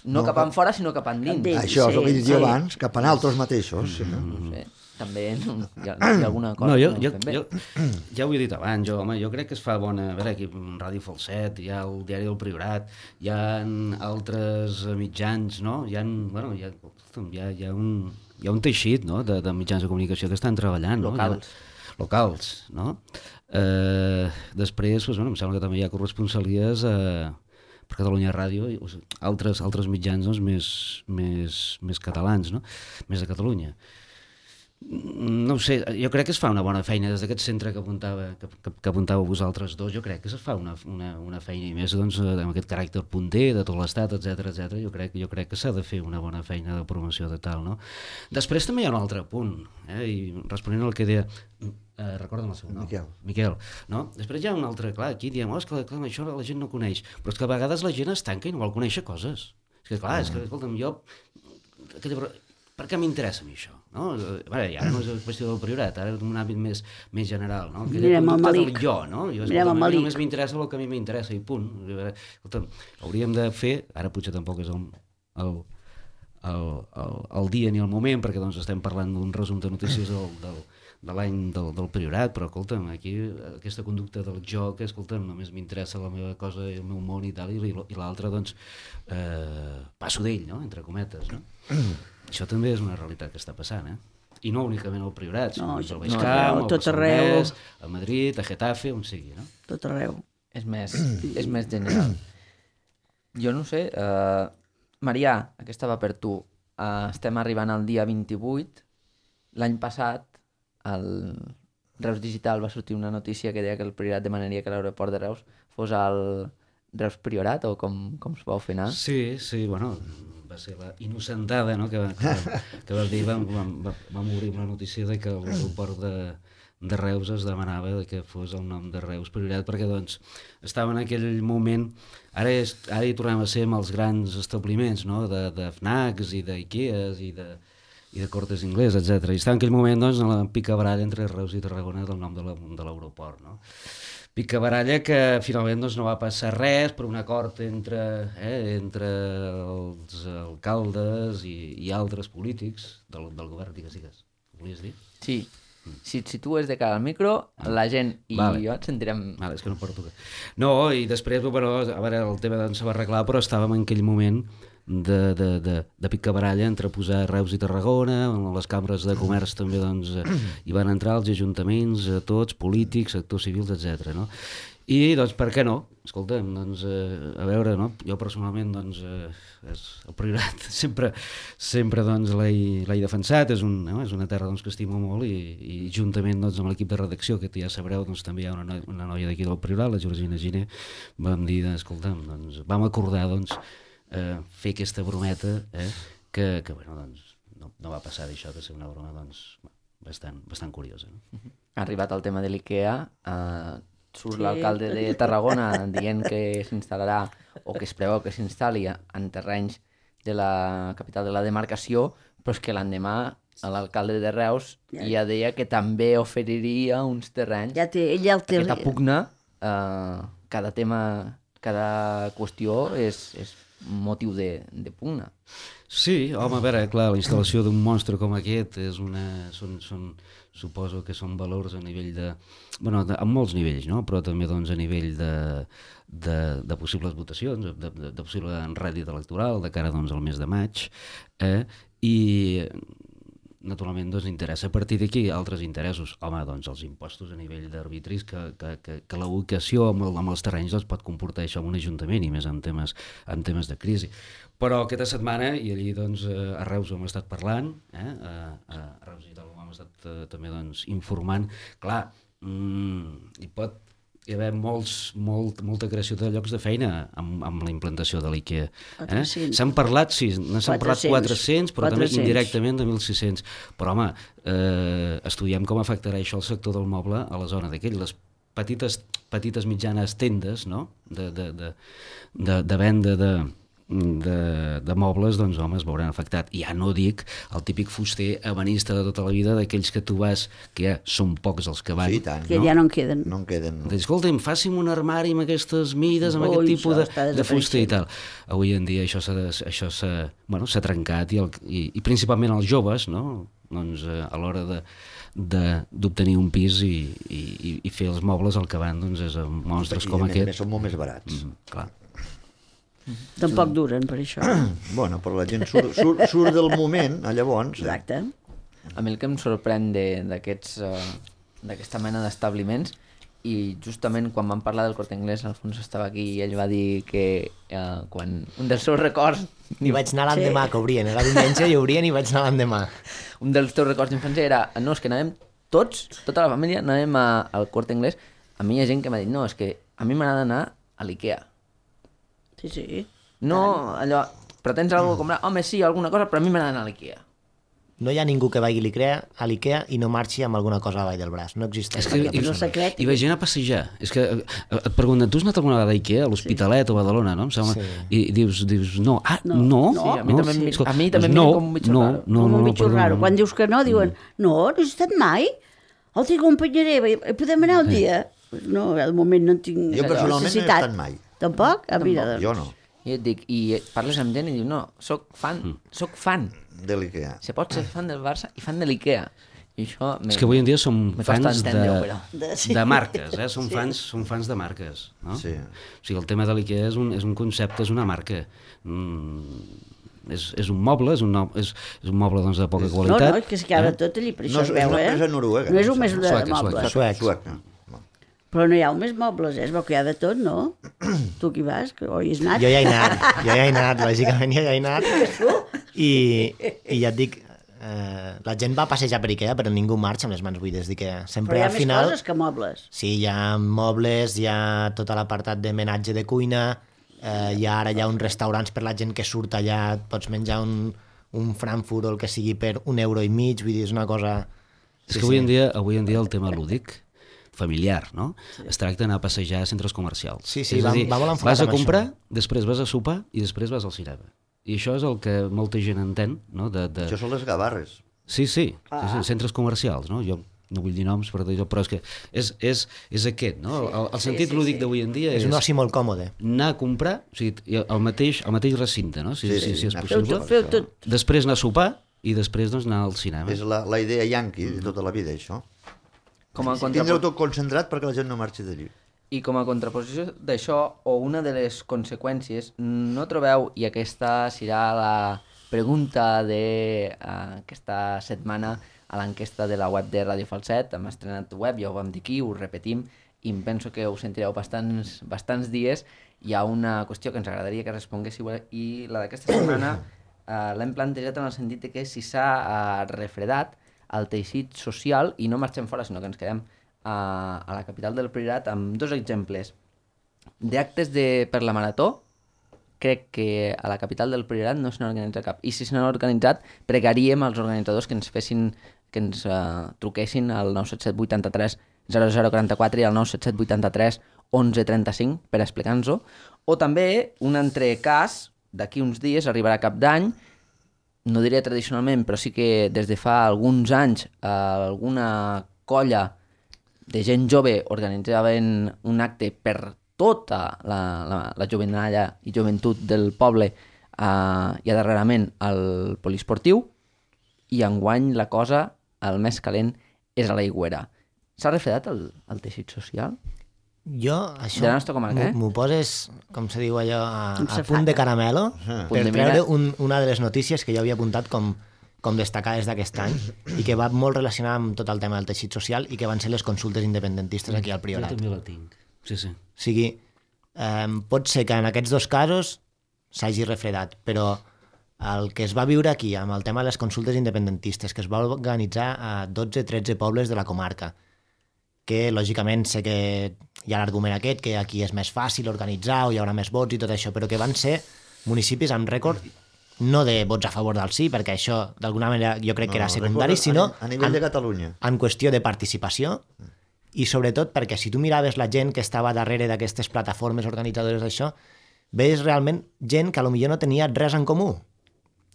no, no cap en fora, sinó cap endins. Dins. Això és el que he dit Sí, jo sí. abans, cap a altres mateixos. Sí. No sé, també no, hi, ha, hi ha alguna cosa No, jo, que jo, no fem bé. jo, ja ho he dit abans, jo, home, jo crec que es fa bona... A veure, aquí Ràdio Falset, hi ha el Diari del Priorat, hi ha altres mitjans, no? Hi ha, bueno, hi ha, hi ha, hi ha, un, hi ha un teixit, no?, de, de mitjans de comunicació que estan treballant. Locals. No? Locals, no? Eh, després, doncs, bueno, em sembla que també hi ha corresponsalies eh, per Catalunya Ràdio i doncs, altres, altres mitjans doncs, més, més, més catalans, no? Més de Catalunya. No ho sé, jo crec que es fa una bona feina des d'aquest centre que apuntava, que, que, que apuntàveu vosaltres dos, jo crec que es fa una, una, una feina i més doncs, amb aquest caràcter punter de tot l'estat, etcètera, etcètera. Jo crec, jo crec que s'ha de fer una bona feina de promoció de tal, no? Després també hi ha un altre punt, eh? I responent al que deia, eh, recorda'm el seu nom. Miquel. Miquel, no? Després hi ha un altre, clar, aquí diem, oh, és que clar, això la gent no coneix, però és que a vegades la gent es tanca i no vol conèixer coses. És que clar, és que, escolta'm, jo... Per què m'interessa a mi això? No? Bé, ja no és una qüestió del Priorat, ara és un àmbit més, més general, no? Que Mirem el Malik. jo, no? Jo, Mirem el a mi Malik. només m'interessa el que a mi m'interessa i punt. Escolta'm, hauríem de fer, ara potser tampoc és el, el, el, el, el dia ni el moment, perquè doncs estem parlant d'un resum de notícies del, del, de l'any del, del Priorat, però escolta'm, aquí aquesta conducta del joc, escolta'm, només m'interessa la meva cosa, el meu món i tal, i, i l'altre, doncs, eh, passo d'ell, no?, entre cometes, no? Això també és una realitat que està passant, eh? I no únicament al Priorat, sinó No, al no, Baix Camp, al tot arreu. Barcelonès, a Madrid, a Getafe, on sigui, no? Tot arreu. És més, és més general. Jo no sé, uh, Marià, aquesta va per tu. Uh, estem arribant al dia vint-i-vuit. L'any passat, al Reus Digital va sortir una notícia que deia que el Priorat demanaria que l'aeroport de Reus fos al Reus Priorat, o com, com es vau fer anar? Sí, sí, bueno, va ser la innocentada, no?, que, que, que va dir, vam, vam, vam obrir una notícia de que l'aeroport de, de Reus es demanava que fos el nom de Reus Priorat, perquè doncs estava en aquell moment, ara, és, ara hi tornem a ser amb els grans establiments, no?, de, de Fnacs i d'Ikeas i de, i de Cortes Inglés, etcètera. I estava en aquell moment doncs, en la picabaralla entre Reus i Tarragona del nom de l'aeroport, no? Picabaralla que finalment doncs, no va passar res per un acord entre, eh, entre els alcaldes i, i altres polítics del, del govern, digues, digues. Ho volies dir? Sí. Si et situes de cara al micro, la gent i Vale. jo et sentirem... Vale, és que no porto... No, i després, bueno, a veure, el tema doncs, se va arreglar, però estàvem en aquell moment de, de, de, de picabaralla entre posar Reus i Tarragona, les cambres de comerç també doncs, hi van entrar els ajuntaments, tots, polítics, sectors civils, etcètera. No? I doncs per què no? Escolta'm, doncs, eh, a veure, no? Jo personalment doncs, eh, és el Priorat sempre, sempre doncs, l'he defensat, és, un, no? És una terra doncs, que estimo molt i, i juntament doncs, amb l'equip de redacció, que ja sabreu, doncs, també hi ha una, noia, una noia d'aquí del Priorat, la Georgina Giner, vam dir, escolta'm, doncs, vam acordar doncs, eh, fer aquesta brometa eh, que, que bueno, doncs, no, no va passar d'això de ser una broma doncs, bastant, bastant curiosa. No? Ha arribat el tema de l'IKEA, eh, surt Sí. l'alcalde de Tarragona dient que s'instal·larà o que es preveu que s'instal·li en terrenys de la capital de la demarcació, però és que l'endemà l'alcalde de Reus Ja. ja deia que també oferiria uns terrenys. Ja té, ell ja el té... Aquesta pugna, eh, cada tema, cada qüestió és, és motiu de, de pugna. Sí, home, a veure, clar, la instal·lació d'un monstre com aquest és una, són, són, suposo que són valors a nivell de... bueno, de, a molts nivells, no? Però també doncs, a nivell de, de, de possibles votacions, de, de, de possible rèdit electoral de cara doncs, al mes de maig, eh? I naturalment doncs, interessa. A partir d'aquí, altres interessos. Home, doncs els impostos a nivell d'arbitris, que, que, que, que la ubicació amb, el, amb els terrenys doncs, pot comportar això en un ajuntament, i més en temes, en temes de crisi. Però aquesta setmana, i allí doncs, a Reus ho hem estat parlant, eh? a, a Reus i tal ho hem estat eh, també doncs, informant, clar, mm, hi pot hi haver molts, molt, molta creació de llocs de feina amb, amb la implantació de l'IKEA. Eh? S'han parlat, sí, s'han parlat quatre-cents, però quatre-cents. També indirectament de mil sis-cents. Però, home, eh, estudiem com afectarà això al sector del moble a la zona d'aquell. Les petites, petites mitjanes tendes, no?, de, de, de, de, de venda de... De, de mobles, doncs home, es veuran afectat. I ja no dic el típic fuster ebenista de tota la vida, d'aquells que tu vas, que ja són pocs els que van. Sí, tant. Que no? Ja no en queden. No en queden. Doncs, escolta'm, faci'm un armari amb aquestes mides, amb Ui, aquest tipus de, de fuster i tal. Avui en dia això s'ha això s'ha bueno, s'ha trencat, i, el, i, i principalment els joves, no? Doncs, eh, a l'hora de d'obtenir un pis i, i, i fer els mobles, el que van doncs, és amb monstres com I aquest. I són molt més barats. Mm, clar. Tampoc duren, per això. Bueno, però la gent surt, surt, surt del moment, a llavors. Exacte. A mi el que em sorprèn d'aquests uh, d'aquesta mena d'establiments, i justament quan vam parlar del Corte Inglés, Alfons estava aquí i ell va dir que uh, quan un dels seus records... I vaig anar l'endemà, sí. Que obrien, era diumenge i obrien i vaig anar l'endemà. Un dels teus records d'infància era, no, és que anàvem tots, tota la família, anàvem a, al Corte Inglés. A mi hi ha gent que m'ha dit, no, és que a mi m'agrada anar a l'IKEA. Sí, sí. No, allò, però tens alguna cosa a comprar? Home, sí, alguna cosa, però a mi m'agrada anar a l'IKEA. No hi ha ningú que vagi a l'IKEA, a l'IKEA i no marxi amb alguna cosa a la vall del braç. No existeix. És que hi, no secret. Hi va gent a passejar. És que et pregunten, tu has anat alguna vegada a IKEA, a l'Hospitalet sí. o a Badalona, no? Em sembla, sí. I dius, dius, no, ah, no? No, no. Sí, a mi no? també, Sí. a mi també no, no, com un bitxo no, raro. no, Com no, un no, bitxo perdona, raro. no. Quan dius que no, diuen, no, no has estat mai? El t'acompanyaré, podem anar un dia? No, al moment no en tinc Jo personalment no he necessitat. estat mai. Tampoc? Ah, mira, doncs. Jo no, I et dic, i parles amb gent i diu, no, soc fan, soc fan. de l'IKEA. Se pot ser fan del Barça i fan de l'IKEA. I això... És que avui en dia som me costa fans de, entendre-ho, però. De- sí. de marques, eh? Som, Sí. fans, som fans de marques, no? Sí. O sigui, el tema de l'IKEA és un, és un concepte, és una marca. Mm, és, és un moble, és un, no, és, és un moble doncs, de poca No, qualitat. no, és que es queda tot allí, per No, això es és veu, una eh? empresa noruega, No és em només de Sueca, mobles. sueca. Suec. Suec. Però no hi ha més mobles, eh? Es veu que hi ha de tot, no? Tu qui vas? Que oi has anat? Jo ja he anat, jo ja he anat, lògicament jo ja he anat. I, i ja et dic, eh, la gent va passejar per IKEA, però ningú marxa amb les mans buides d'IKEA. Sempre Però hi ha al més final... coses que mobles. Sí, hi ha mobles, hi ha tot l'apartat de menatge de cuina, eh, hi ha ara hi ha uns restaurants per la gent que surt allà, et pots menjar un, un Frankfurt o el que sigui per un euro i mig, vull dir, és una cosa... És que avui en dia, avui en dia el tema lúdic, familiar, no? Sí. Es tracta d'anar a passejar a centres comercials. Sí, sí, és va- a dir, va molt enfocat vas a en comprar, això. després vas a sopar i després vas al cinema. I això és el que molta gent entén, no? De, de... Això són les gavarres. Sí, sí, sí, sí, centres comercials, no? Jo no vull dir noms, però, però és que és, és, és aquest, no? El, el sentit sí, sí, lúdic sí. d'avui en dia És és, un oci molt còmode. anar a comprar, o sigui, el mateix, el mateix recinte, no? Si, Sí, si, sí, si és anar a Feu, possible. tot, feu tot. Després anar a sopar i després doncs, anar al cinema. És la, la idea yanqui de tota la vida, això. Com a, Tindreu contrapo... tot concentrat perquè la gent no marxi d'allí. I com a contraposició d'això, o una de les conseqüències, no trobeu, i aquesta serà la pregunta d'aquesta setmana a l'enquesta de la web de Ràdio Falset, hem estrenat web, ja ho vam dir aquí, ho repetim, i em penso que ho sentireu bastants, bastants dies. Hi ha una qüestió que ens agradaria que responguéssiu, i la d'aquesta setmana eh, l'hem plantejat en el sentit de que si s'ha eh, refredat el teixit social, i no marxem fora, sinó que ens quedem a, a la capital del Priorat, amb dos exemples d'actes de, per la Marató. Crec que a la capital del Priorat no se n'ha organitzat cap. I si se n'ha organitzat, pregaríem als organitzadors que ens fessin, que ens uh, truquessin al nou set set vuit tres zero zero quatre quatre i al nou set set vuit tres onze trenta-cinc per explicar-nos-ho. O també un altre cas, d'aquí uns dies, arribarà cap d'any, no diré tradicionalment, però sí que des de fa alguns anys eh, alguna colla de gent jove organitzaven un acte per tota la, la, la jovenalla i joventut del poble eh, i darrerament al poliesportiu, i enguany la cosa, el més calent, és a l'Aigüera. S'ha refredat el, el teixit social? Jo, això, De la nostra comarca, eh? m'ho m'ho poses, com se diu allò, a, Amb a safata. punt de caramelo, Punt per de treure mira. un, una de les notícies que jo havia apuntat com com destacades d'aquest any i que va molt relacionada amb tot el tema del teixit social i que van ser les consultes independentistes aquí al Priorat. Jo també la tinc, sí, sí. O sigui, eh, pot ser que en aquests dos casos s'hagi refredat, però el que es va viure aquí amb el tema de les consultes independentistes, que es va organitzar a dotze tretze pobles de la comarca, que lògicament sé que hi ha l'argument aquest, que aquí és més fàcil organitzar o hi haurà més vots i tot això, però que van ser municipis amb rècord no de vots a favor del sí, perquè això d'alguna manera jo crec que era secundari, sinó a nivell de Catalunya. En qüestió de participació i sobretot perquè si tu miraves la gent que estava darrere d'aquestes plataformes organitzadores d'això, veies realment gent que potser no tenia res en comú.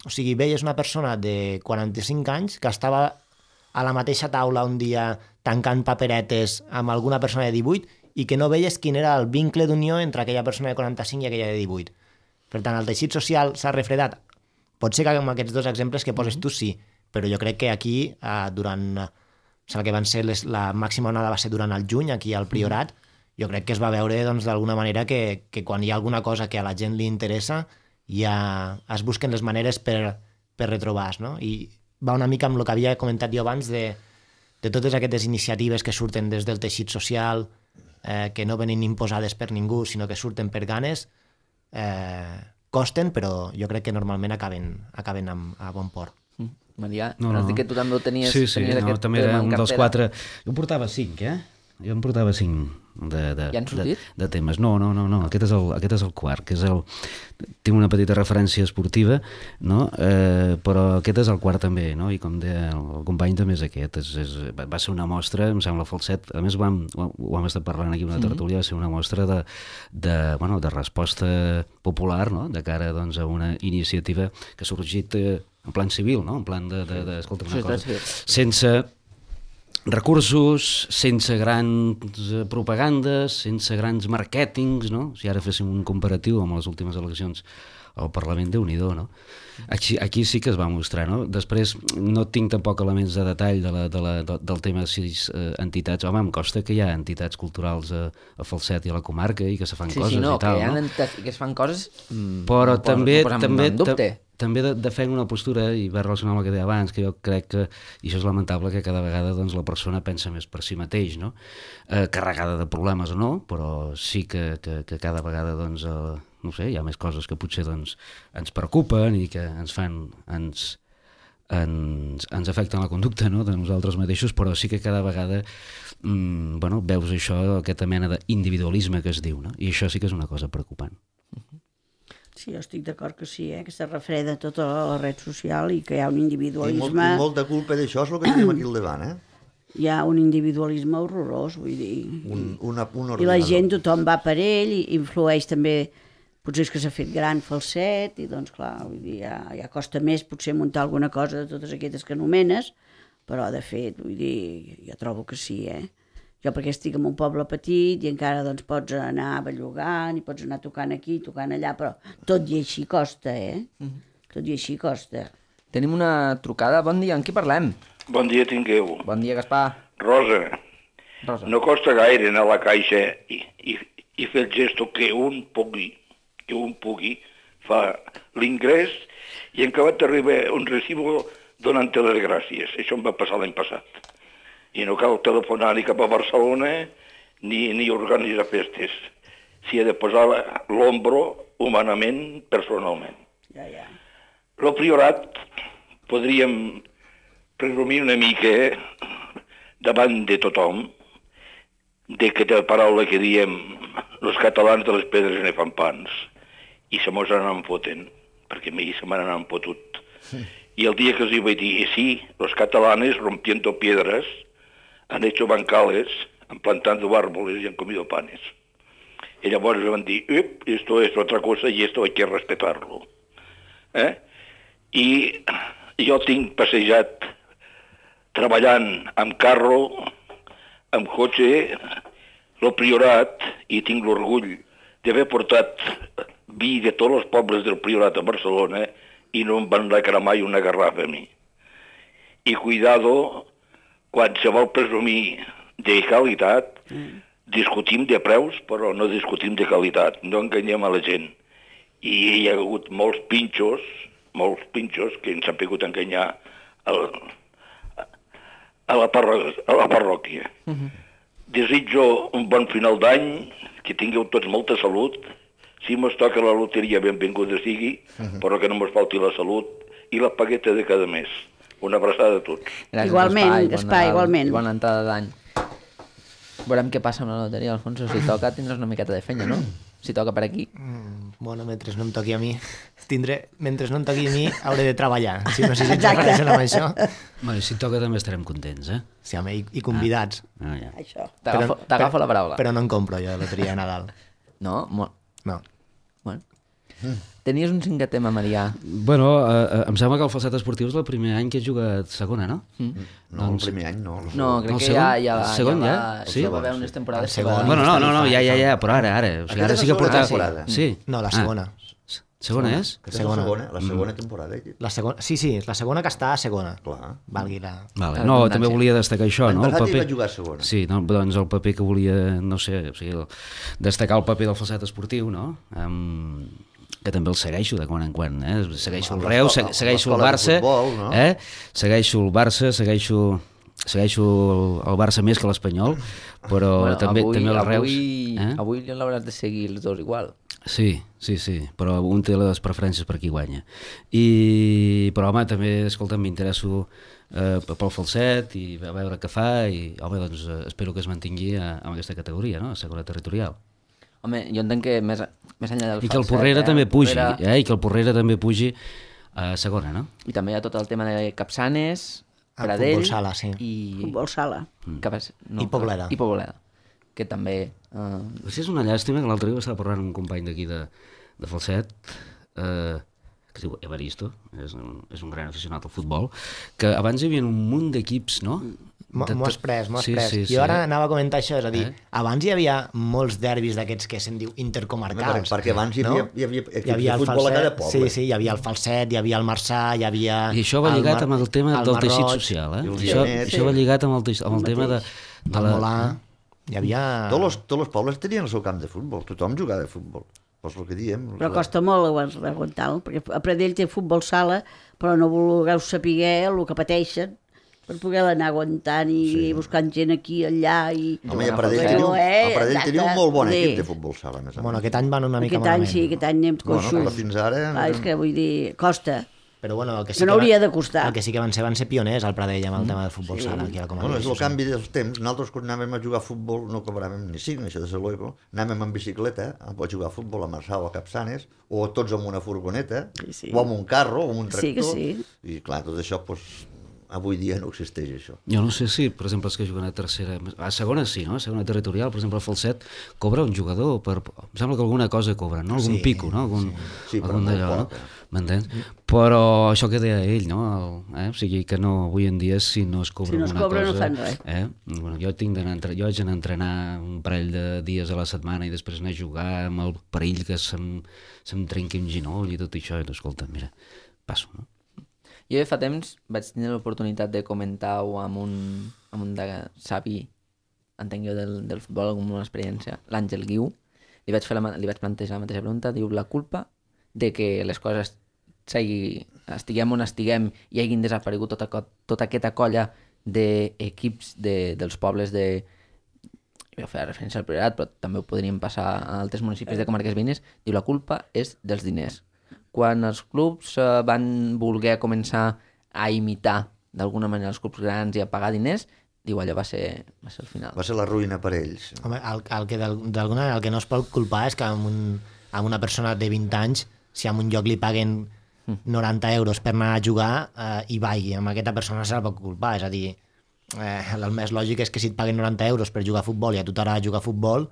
O sigui, veies una persona de quaranta-cinc anys que estava a la mateixa taula un dia tancant paperetes amb alguna persona de divuit i que no veies quin era el vincle d'unió entre aquella persona de quaranta-cinc i aquella de divuit. Per tant, el teixit social s'ha refredat. Pot ser que amb aquests dos exemples que poses tu sí, però jo crec que aquí, eh, durant o sigui, que van ser les, la màxima onada va ser durant el juny, aquí al Priorat, jo crec que es va veure doncs, d'alguna manera que, que quan hi ha alguna cosa que a la gent li interessa ja es busquen les maneres per, per retrobar-se, no? I va una mica amb el que havia comentat jo abans de, de totes aquestes iniciatives que surten des del teixit social, eh, que no venen imposades per ningú, sinó que surten per ganes, eh, costen, però jo crec que normalment acaben, acaben amb, a bon port. Mm. Maria, No, no, no. has dit que tu també ho tenies, Sí, sí, tenies no, aquest també era tema en un dels cartera. quatre... Jo en portava cinc, eh? Jo en portava cinc de, de, Ja han sortit? de, de temes. No, no, no, no. Aquest, és el, aquest és el quart, que és el... Tinc una petita referència esportiva, no? Eh, però aquest és el quart també, no? I com deia el company també és aquest. És, és, va ser una mostra, em sembla falset, a més ho hem, ho hem estat parlant aquí una tertúlia, va ser una mostra de, de, bueno, de resposta popular, no? De cara doncs, a una iniciativa que ha sorgit eh, en plan civil, no? En plan de, de, de escolta, una Societat cosa, civil. sense recursos, sense grans propagandes, sense grans màrquetings, no? Si ara féssim un comparatiu amb les últimes eleccions al Parlament, Déu-n'hi-do, no? Aquí, aquí sí que es va mostrar, no? Després no tinc tampoc elements de detall de la, de la, de, del tema de sis eh, entitats. Home, em costa que hi ha entitats culturals a, a Falset i a la comarca i que se fan Sí, coses sí, no, i tal, que hi ha no? entitats que es fan coses... Mm, Però no posa- també, no posem també, en dubte. ta- també de, defenc una postura, i va relacionar amb el que deia abans, que jo crec que, i això és lamentable, que cada vegada doncs, la persona pensa més per si mateix, no? Eh, carregada de problemes o no, però sí que, que, que cada vegada doncs, eh, no sé, hi ha més coses que potser doncs, ens preocupen i que ens fan, ens, ens, ens afecten la conducta, no? De nosaltres mateixos, però sí que cada vegada mm, bueno, veus això, aquesta mena d'individualisme que es diu, no? I això sí que és una cosa preocupant. Sí, jo estic d'acord que sí, eh? Que se refreda tota la red social i que hi ha un I, molt, individualisme... I molta culpa d'això és el que tenim aquí al davant, eh? Hi ha un individualisme horrorós, vull dir... Un, una, un I la ordinador. gent, tothom va per ell, i influeix també... Potser és que s'ha fet gran Falset, i doncs clar, vull dir, ja, ja costa més potser muntar alguna cosa de totes aquestes que anomenes, però de fet, vull dir, jo trobo que sí, eh? Jo perquè estic en un poble petit i encara doncs pots anar bellugant i pots anar tocant aquí, tocant allà, però tot i així costa, eh? Tot i així costa. Tenim una trucada. Bon dia, amb qui parlem? Bon dia tingueu. Bon dia, Gaspar. Rosa, Rosa. no costa gaire anar a la caixa i, i, i fer el gesto que un pugui, que un pugui, fa l'ingrés i en acabat t'arriba un recibo donant-te les gràcies. Això em va passar l'any passat. I no cal telefonar ni cap a Barcelona ni, ni organitzar festes. S'hi ha de posar l'ombro humanament, personalment. Ja, ja. El Priorat podríem presumir una mica davant de tothom de que la paraula que diem els catalans de les pedres ne fan pans i se mos n'han foten, perquè a mi se me n'han fotut. Y el día que os iba a decir, sí, los catalanes rompiendo piedras han hecho bancales, han plantado árboles y han comido panes. Y llavors van dir, Up, esto es otra cosa y esto hay que respetarlo. Eh? I jo tinc passejat treballant amb carro, amb cotxe, el Priorat, i tinc l'orgull d'haver portat vi de tots els pobles del Priorat a Barcelona i no em van reclamar mai una garrafa a mi. I cuidado, quan se vol presumir de qualitat, mm. discutim de preus, però no discutim de qualitat, no enganyem a la gent. I hi ha hagut molts pinxos, molts pinxos que ens han pogut enganyar a la, a la, parro a la parròquia. Uh-huh. Desitjo un bon final d'any, que tingueu tots molta salut. Si mos toca la loteria, benvinguda sigui, uh-huh. però que no mos falti la salut i la pagueta de cada mes. Una abraçada a tots. Gràcies, igualment, Gaspar, Gaspar igualment. Bona entrada d'any. Veurem què passa amb la loteria, Alfonso. Si toca, tindràs una miqueta de fenya, no? Si toca per aquí. Mm, bueno, mentre no em toqui a mi, tindré, mentre no em toqui a mi, hauré de treballar. Si no sé si t'agreixen amb això. Bueno, si toca també estarem contents, eh? Sí, home, i, i convidats. Ah, ah, ja. Això. T'agafo la paraula. Però no en compro jo de loteria de Nadal. No? Molt. No. Bueno. Mm. Tenies un cinquè tema, Marià. Bueno, eh, em sembla que el Falset Esportiu és el primer any que he jugat segona, no? Mm. No, doncs... el primer any no. No, crec el que segon? ja, ja, el segon ja, ja? va, Sí? ja va haver unes temporades. El segon. Bueno, no, no, no, ja, ja, ja, però ara, ara. O sigui, ara sí que porta... temporada. Sí? No, la segona. Ah. Segona és? La segona, la segona temporada. La segona, sí, sí, la segona que està a segona. Clar. Valgui la... Vale. No, també volia destacar això, no? El El passat hi paper... va jugar a segona. Sí, no, doncs el paper que volia, no sé, o sigui, destacar el paper del Falset Esportiu, no? Um, que també el segueixo de quan en quan, eh? Segueixo el Reus, segueixo el Barça, eh? Segueixo el Barça, segueixo... segueixo el, el Barça més que l'Espanyol, però bueno, també, avui, també el Reus... Avui, eh? avui l'hauràs de seguir els dos igual. Sí, sí, sí, però un té les preferències per qui guanya. I, però home, també, escolta, m'interesso eh, pel falset i a veure què fa i, home, doncs eh, espero que es mantingui a, a aquesta categoria, no?, a segona territorial. Home, jo entenc que més, més enllà del I que el falset... Porrera eh, també pugi, Porrera... eh, i que el Porrera també pugi a segona, no? I també hi ha tot el tema de Capçanes, El Pradell... futbol sala, sí. I... Futbol sala. Capas... No, I Pobleda. I Pobleda, que també... Uh... Sí, és una llàstima que l'altre dia estava parlant amb un company d'aquí de, de Falset, eh, que es diu Evaristo, és un, és un gran aficionat al futbol, que abans hi havia un munt d'equips, no? M'ho has pres, m'ho has sí, pres. sí, jo sí. ara anava a comentar això, és a dir, Eh? abans hi havia molts derbis d'aquests que se'n diu intercomarcals. Perquè abans hi havia, hi havia equips hi havia de el futbol a cada Falset, poble. sí, sí, hi havia el Falset, hi havia el Marçà, hi havia... I això va lligat el Mar... amb el tema el del teixit Marroig, social, eh? i el Això, Ginet, això sí. va lligat amb el, teix... amb el tema de... de el Molà, hi havia... Tots els, tots els pobles tenien el seu camp de futbol, tothom jugava a futbol. És el que diem. Però costa molt aguantar-lo, perquè a Pradell té futbol sala, però no vulgueu saber el que pateixen per poder anar aguantant i sí. buscant gent aquí, allà... I... Home, i a Pradell teniu, a Pradell teniu un molt bon equip de futbol sala, més a més. Bueno, aquest any van una mica aquest any malament. sí, aquest any anem coixos. Bueno, però fins ara... Ah, és que vull dir, costa. Però bueno, el que sí Que no que hauria va, de costar. El que sí que van ser van ser pioners al Pradell amb el tema del futbol Sí. sala. Aquí a la Bueno, és el sí. canvi dels temps. Nosaltres quan anàvem a jugar a futbol no cobràvem ni cinc, això de luego. Anàvem amb bicicleta a jugar a futbol a Marçà o a Capçanes, o tots amb una furgoneta, Sí, sí. o amb un carro, o amb un Sí que tractor. sí. I clar, tot això, doncs, avui dia no existeix això. Jo no sé si, per exemple, els que juguen a tercera... A segona sí, no? A segona territorial, per exemple, el Falset cobra un jugador per... Em sembla que alguna cosa cobra, no? Algun Sí, pico, no? Algun, Sí, però algun molt d'allò, poc, no? M'entens? Però això que deia ell, no? El, eh? O sigui, que no, avui en dia, si no es cobra Si no es alguna cobra, no cosa... fan res. Eh? Bueno, jo, tinc d'anar, entre- jo haig d'anar a entrenar un parell de dies a la setmana i després anar a jugar amb el perill que se'm, se'm trenqui un ginoll i tot això. I, escolta, mira, passo, no? Jo fa temps vaig tenir l'oportunitat de comentar-ho amb un, amb un de savi, entenc jo, del, del futbol, amb una experiència, l'Àngel Guiu. Li vaig, fer la, ma- li vaig plantejar la mateixa pregunta, diu, la culpa de que les coses sigui, estiguem on estiguem i hagin desaparegut tota, co- tota aquesta colla d'equips de, dels pobles de... Jo feia referència al Priorat, però també ho podríem passar a altres municipis de comarques veïnes. Diu, la culpa és dels diners. Quan els clubs eh, van voler començar a imitar d'alguna manera els clubs grans i a pagar diners, diu, allò va ser, va ser el final. Va ser la ruïna per ells. Home, el, el que d'al- d'alguna manera el que no es pot culpar és que amb, un, amb una persona de vint anys, si en un lloc li paguen noranta euros per anar a jugar eh, i vagi, amb aquesta persona se la pot culpar. És a dir, eh, el més lògic és que si et paguen noranta euros per jugar a futbol i a tu t'agrada jugar a futbol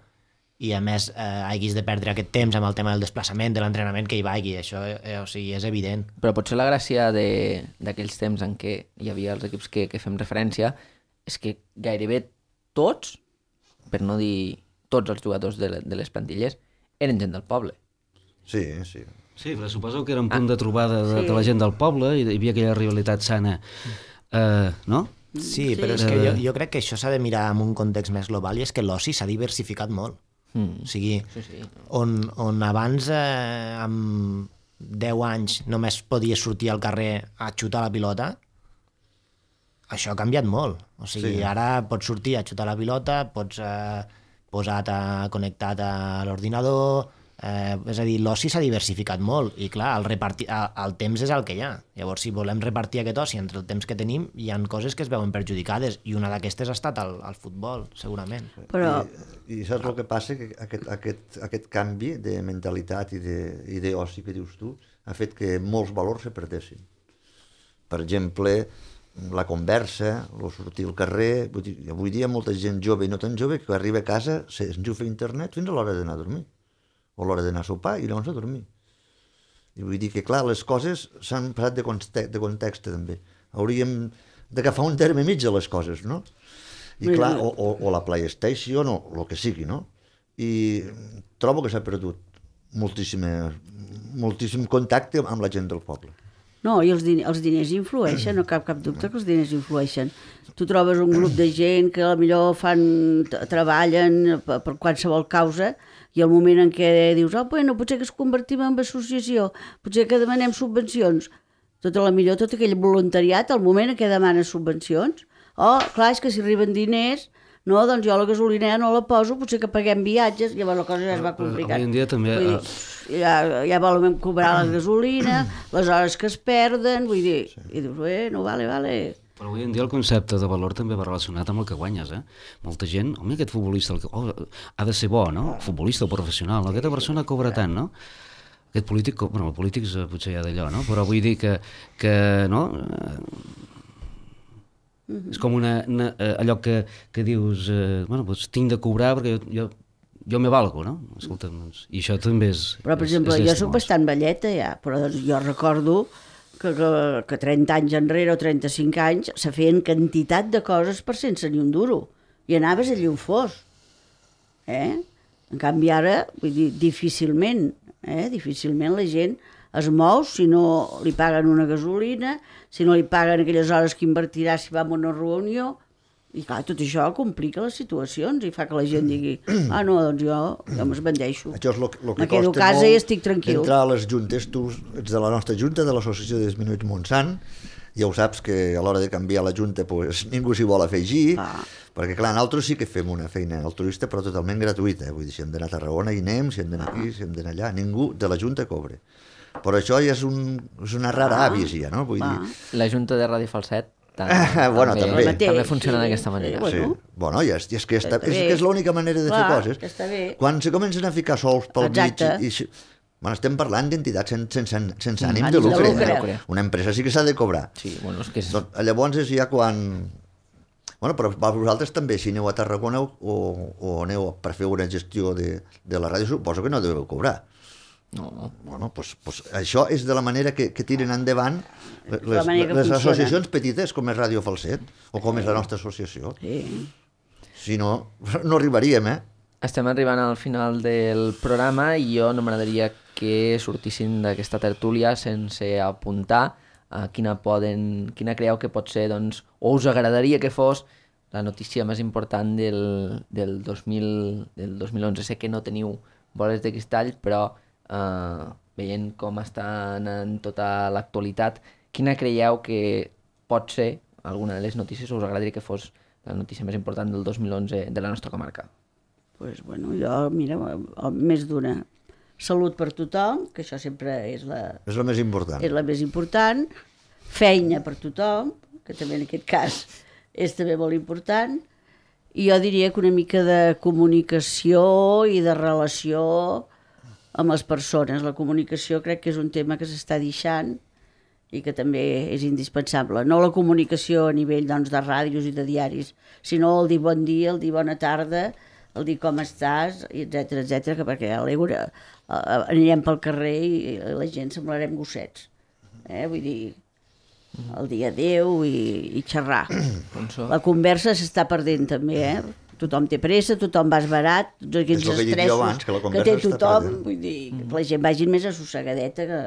i a més eh, hagis de perdre aquest temps amb el tema del desplaçament, de l'entrenament, que hi vagi. Això eh, o sigui, és evident. Però potser la gràcia de- d'aquells temps en què hi havia els equips que, que fem referència és que gairebé tots, per no dir tots els jugadors de, le- de les plantilles, eren gent del poble. Sí, sí. Sí, però suposo que era un punt de trobada de, Sí. de la gent del poble i hi havia aquella rivalitat sana, eh, no? Sí, Sí. però és que jo, jo crec que això s'ha de mirar en un context més global i és que l'oci s'ha diversificat molt. Mm. O sigui, Sí, sí. on, on abans, eh, amb deu anys, només podies sortir al carrer a xutar la pilota, això ha canviat molt. O sigui, Sí. ara pots sortir a xutar la pilota, pots eh, posat a, connectat a l'ordinador, eh, és a dir, l'oci s'ha diversificat molt i clar, el, repartir, el temps és el que hi ha. Llavors, si volem repartir aquest oci entre el temps que tenim, hi han coses que es veuen perjudicades i una d'aquestes ha estat el, el futbol, segurament. Però I, I saps el que passa? Que aquest, aquest, aquest canvi de mentalitat i de- i d'oci que dius tu ha fet que molts valors se perdessin. Per exemple, la conversa, el sortir al carrer... Vull dir, avui dia molta gent jove i no tan jove que arriba a casa, s'enxufa a internet fins a l'hora d'anar a dormir, o a l'hora d'anar a sopar i llavors a dormir. I vull dir que, clar, les coses s'han passat de context, de context també. Hauríem d'agafar un terme mig de les coses, no? I Mira, clar, o, o, o la PlayStation, o el que sigui, no? I trobo que s'ha perdut moltíssima, moltíssim contacte amb la gent del poble. no, i els, din els diners influeixen, no cap cap dubte que els diners influeixen. Tu trobes un grup de gent que potser fan, treballen per, per qualsevol causa i al moment en què dius, oh, bueno, potser que es convertim en associació, potser que demanem subvencions, tot a la millor, tot aquell voluntariat, al moment en què demanes subvencions, oh, clar, és que si arriben diners, no, doncs jo la gasolina no la poso, potser que paguem viatges, llavors la cosa ja es va complicant. Avui en dia també, Vull dir, ja, ja volen cobrar la gasolina, les hores que es perden, vull dir, i dius, bueno, vale, vale. Però avui en dia el concepte de valor també va relacionat amb el que guanyes, eh? Molta gent, home, aquest futbolista el que, oh, ha de ser bo, no? Futbolista o professional, no? Aquesta persona cobra tant, no? Aquest polític, co- bueno, el polític és, eh, potser ja d'allò, no? Però vull dir que, que no? Eh, és com una, una, eh, allò que, que dius, eh, bueno, doncs tinc de cobrar perquè jo, jo, jo me valgo, no? Escolta, doncs, i això també és... Però, per és- exemple, és jo llastimós. soc bastant velleta ja, però doncs, jo recordo que, que, que trenta anys enrere o trenta-cinc anys se feien quantitat de coses per sense ni un duro. I anaves allí on fos. Eh? En canvi ara, vull dir, difícilment, eh? difícilment la gent es mou si no li paguen una gasolina, si no li paguen aquelles hores que invertirà si va a una reunió. I clar, tot això complica les situacions i fa que la gent digui, ah no, doncs jo, jo m'esbandeixo. Això és el que, lo que Me quedo a costa casa molt i estic tranquil. entrar a les juntes. Tu ets de la nostra junta, de l'Associació de Disminuïts Montsant, ja ho saps que a l'hora de canviar la junta pues, ningú s'hi vol afegir, Ah. perquè clar, nosaltres sí que fem una feina altruista però totalment gratuïta, vull dir, si hem d'anar a Tarragona hi anem, si hem d'anar aquí, si hem d'anar allà, ningú de la junta cobra. Però això ja és, un, és una rara Ah. avis ja, no? Vull Va. dir, La Junta de Ràdio Falset tam Bueno, també, també. també Mateix, funciona sí, d'aquesta sí, manera. bueno. sí. Bueno, i és, i és que, està, Està és, bé. que és l'única manera de Clar, fer coses. que està bé. Quan se comencen a ficar sols pel Exacte. mig... I, i, bueno, estem parlant d'entitats sense, sense, sense Mm, ànim ànim de de lucre. lucre. eh? Una empresa sí que s'ha de cobrar. Sí, bueno, és que és... Doncs, llavors és ja quan... Bueno, però per vosaltres també, si aneu a Tarragona o, o aneu per fer una gestió de, de la ràdio, suposo que no deveu cobrar. No. Bueno, doncs, doncs això és de la manera que, que tiren endavant les, la manera que les funciona. associacions petites, com és Ràdio Falset, o com és la nostra associació. Sí. Si no, no arribaríem, eh? Estem arribant al final del programa i jo no m'agradaria que sortissin d'aquesta tertúlia sense apuntar a quina, poden, quina creieu que pot ser, doncs, o us agradaria que fos la notícia més important del, del, dos mil, del dos mil onze. Sé que no teniu boles de cristall, però eh, veient com està anant tota l'actualitat, quina creieu que pot ser alguna de les notícies o us agradaria que fos la notícia més important del dos mil onze de la nostra comarca? Pues, bueno, jo, mira, més d'una. Salut per tothom, que això sempre és la, És el més important. és la més important. Feina per tothom, que també en aquest cas és també molt important. I jo diria que una mica de comunicació i de relació amb les persones. La comunicació crec que és un tema que s'està deixant i que també és indispensable. No la comunicació a nivell doncs, de ràdios i de diaris, sinó el dir bon dia, el dir bona tarda, el dir com estàs, etcètera, etcètera, que perquè a l'Eura eh, anirem pel carrer i la gent semblarem gossets. Eh? Vull dir, el dir adéu i, i xerrar. La conversa s'està perdent també, eh? Tothom té pressa, tothom va esbarat, tots aquells És el que he dit jo estressos abans, que la que conversa té està tothom, perdent. vull dir, que la gent vagi més assossegadeta, que,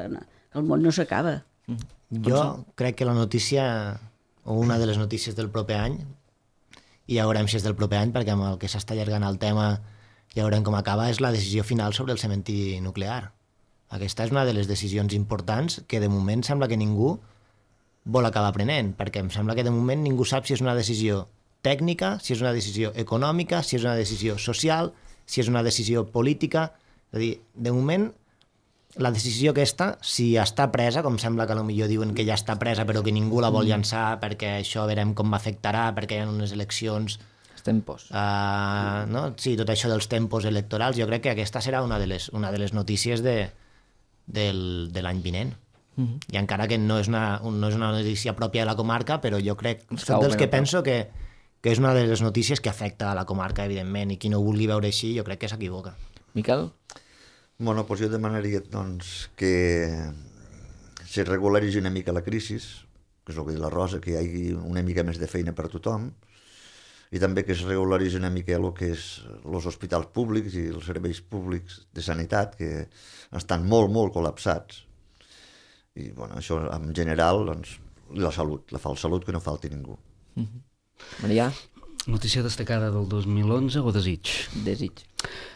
que el món no s'acaba. Jo crec que la notícia, o una de les notícies del proper any, i ja veurem si és del proper any, perquè amb el que s'està allargant el tema ja veurem com acaba, és la decisió final sobre el cementiri nuclear. Aquesta és una de les decisions importants que de moment sembla que ningú vol acabar prenent, perquè em sembla que de moment ningú sap si és una decisió tècnica, si és una decisió econòmica, si és una decisió social, si és una decisió política. És a dir, de moment, la decisió aquesta, si està presa, com sembla que potser diuen que ja està presa però que ningú la vol llançar perquè això veurem com afectarà, perquè hi ha unes eleccions... Els tempos. Uh, no? Sí, tot això dels tempos electorals, jo crec que aquesta serà una de les, una de les notícies de, del, de l'any vinent. Uh-huh. I encara que no és, una, no és una notícia pròpia de la comarca, però jo crec, soc dels que penso que, que és una de les notícies que afecta a la comarca, evidentment, i qui no ho vulgui veure així, jo crec que s'equivoca. Miquel? Bueno, doncs jo demanaria doncs, que se regularitzi una mica la crisi, que és el que diu la Rosa, que hi hagi una mica més de feina per a tothom, i també que es regularitzi una mica el que és els hospitals públics i els serveis públics de sanitat, que estan molt, molt col·lapsats. I bueno, això en general, doncs, la salut, la falsa salut, que no falti ningú. Mm-hmm. Marià? Notícia destacada del dos mil onze o desig? Desig.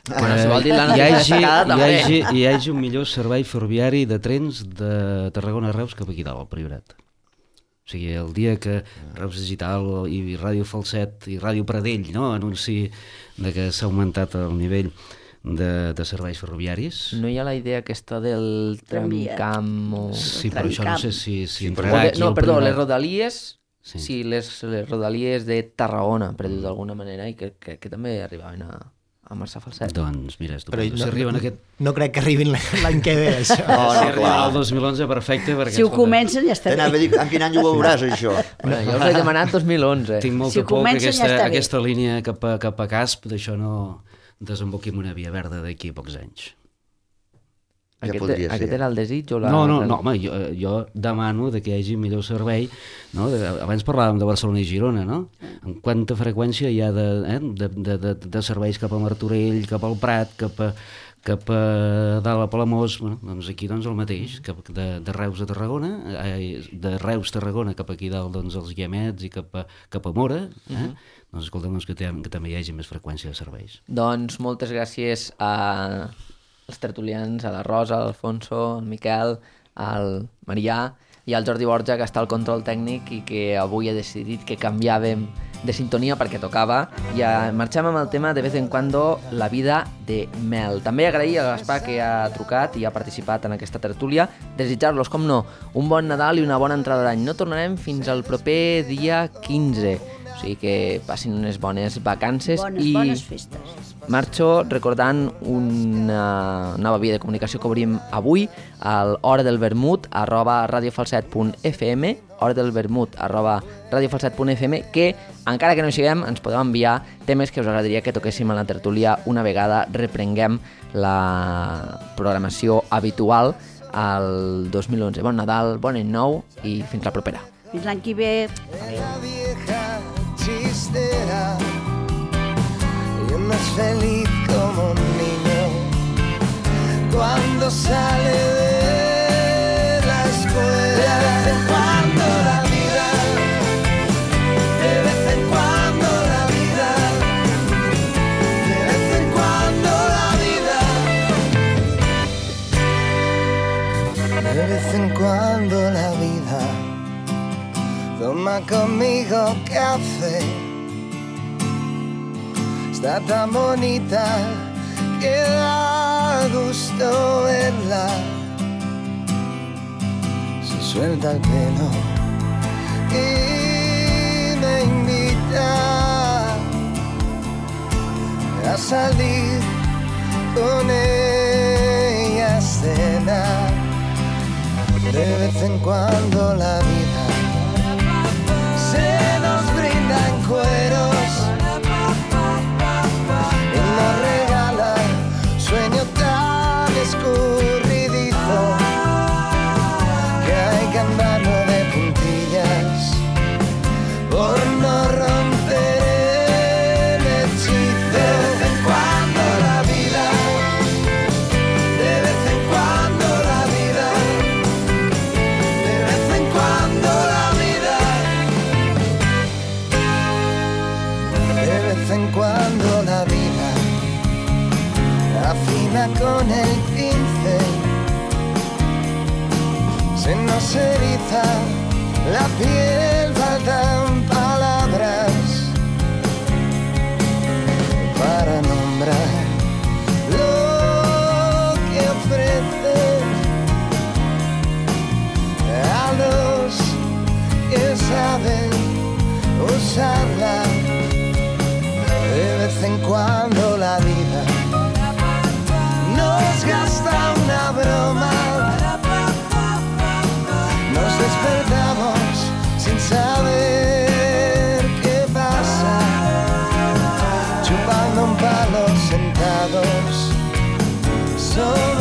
Que hi hagi, hi, hagi, hi hagi un millor servei ferroviari de trens de Tarragona a Reus cap aquí dalt, al Priorat. O sigui, el dia que Reus Digital i Ràdio Falset i Ràdio Pradell, no?, anunci de que s'ha augmentat el nivell de, de serveis ferroviaris. No hi ha la idea aquesta del tramcamp o... Sí, però això no sé si, si sí, entrarà aquí. No, perdó, Priorat. les rodalies... Sí, sí les, les rodalies de Tarragona, per dir-ho d'alguna manera, i que, que, que també arribaven a, a Marçà Falset. Doncs mira, però no, no, si arriben no, aquest... no crec que arribin l'any que ve, això. No, no, si arriben clar. al dos mil onze, perfecte. Perquè, Si ho comencen ja està T'anava a bé. dir, en quin any ho veuràs, això? Bueno, jo us he demanat dos mil onze. Tinc molta Si por que comencen, aquesta, ja està bé. aquesta línia cap a, cap a Casp, d'això no desemboqui en una via verda d'aquí a pocs anys. Ja Aquest, podria ser. aquest era el desig o la... No, no, no, home, jo, jo demano de que hi hagi millor servei, no? De, abans parlàvem de Barcelona i Girona, no? En quanta freqüència hi ha de, eh? de, de, de, de serveis cap a Martorell, cap al Prat, cap a, cap a dalt a Palamós, bueno, doncs aquí doncs el mateix, cap de, de Reus a Tarragona, eh, de Reus a Tarragona cap aquí dalt doncs els Guiamets i cap a, cap a Mora, eh? Uh-huh. Doncs escolta'm, doncs que, té, que també hi hagi més freqüència de serveis. Doncs moltes gràcies a els tertulians, a la Rosa, a l'Alfonso, al Miquel, al Marià i al Jordi Borja, que està al control tècnic i que avui ha decidit que canviàvem de sintonia perquè tocava. I marxem amb el tema de vez en cuando, la vida de Mel. També agrair a Gaspar que ha trucat i ha participat en aquesta tertúlia. Desitjar-los, com no, un bon Nadal i una bona entrada d'any. No tornarem fins al proper dia quinze. O sigui que passin unes bones vacances. Bones, i bones festes. marxo recordant una nova via de comunicació que obrim avui al hora del vermut arroba radiofalset punt f m, hora del vermut arroba radiofalset punt f m, que encara que no hi siguem ens podeu enviar temes que us agradaria que toquéssim a la tertúlia una vegada reprenguem la programació habitual al dos mil onze. Bon Nadal, bon any nou i fins la propera. Fins l'any que ve. La vieja chistera y uno es feliz como un niño cuando sale de la escuela. De vez en cuando la vida, de vez en cuando la vida, de vez en cuando la vida, de vez en cuando la vida toma conmigo café. Está tan bonita que da gusto verla. Se suelta el pelo y me invita a salir con ella a cenar. De vez en cuando la vida se nos brinda en cueros y nos regala sueño tan escurridizo que hay que andarlo de puntillas por no romper el hechizo. De vez en cuando la vida, de vez en cuando la vida, de vez en cuando la vida, de vez en cuando la vida afina con el pincel, se nos eriza la piel faltan palabras para nombrar lo que ofrece a los que saben usarla. De vez en cuando la vida nos gasta una broma, nos despertamos sin saber qué pasa, chupando un palo sentados. So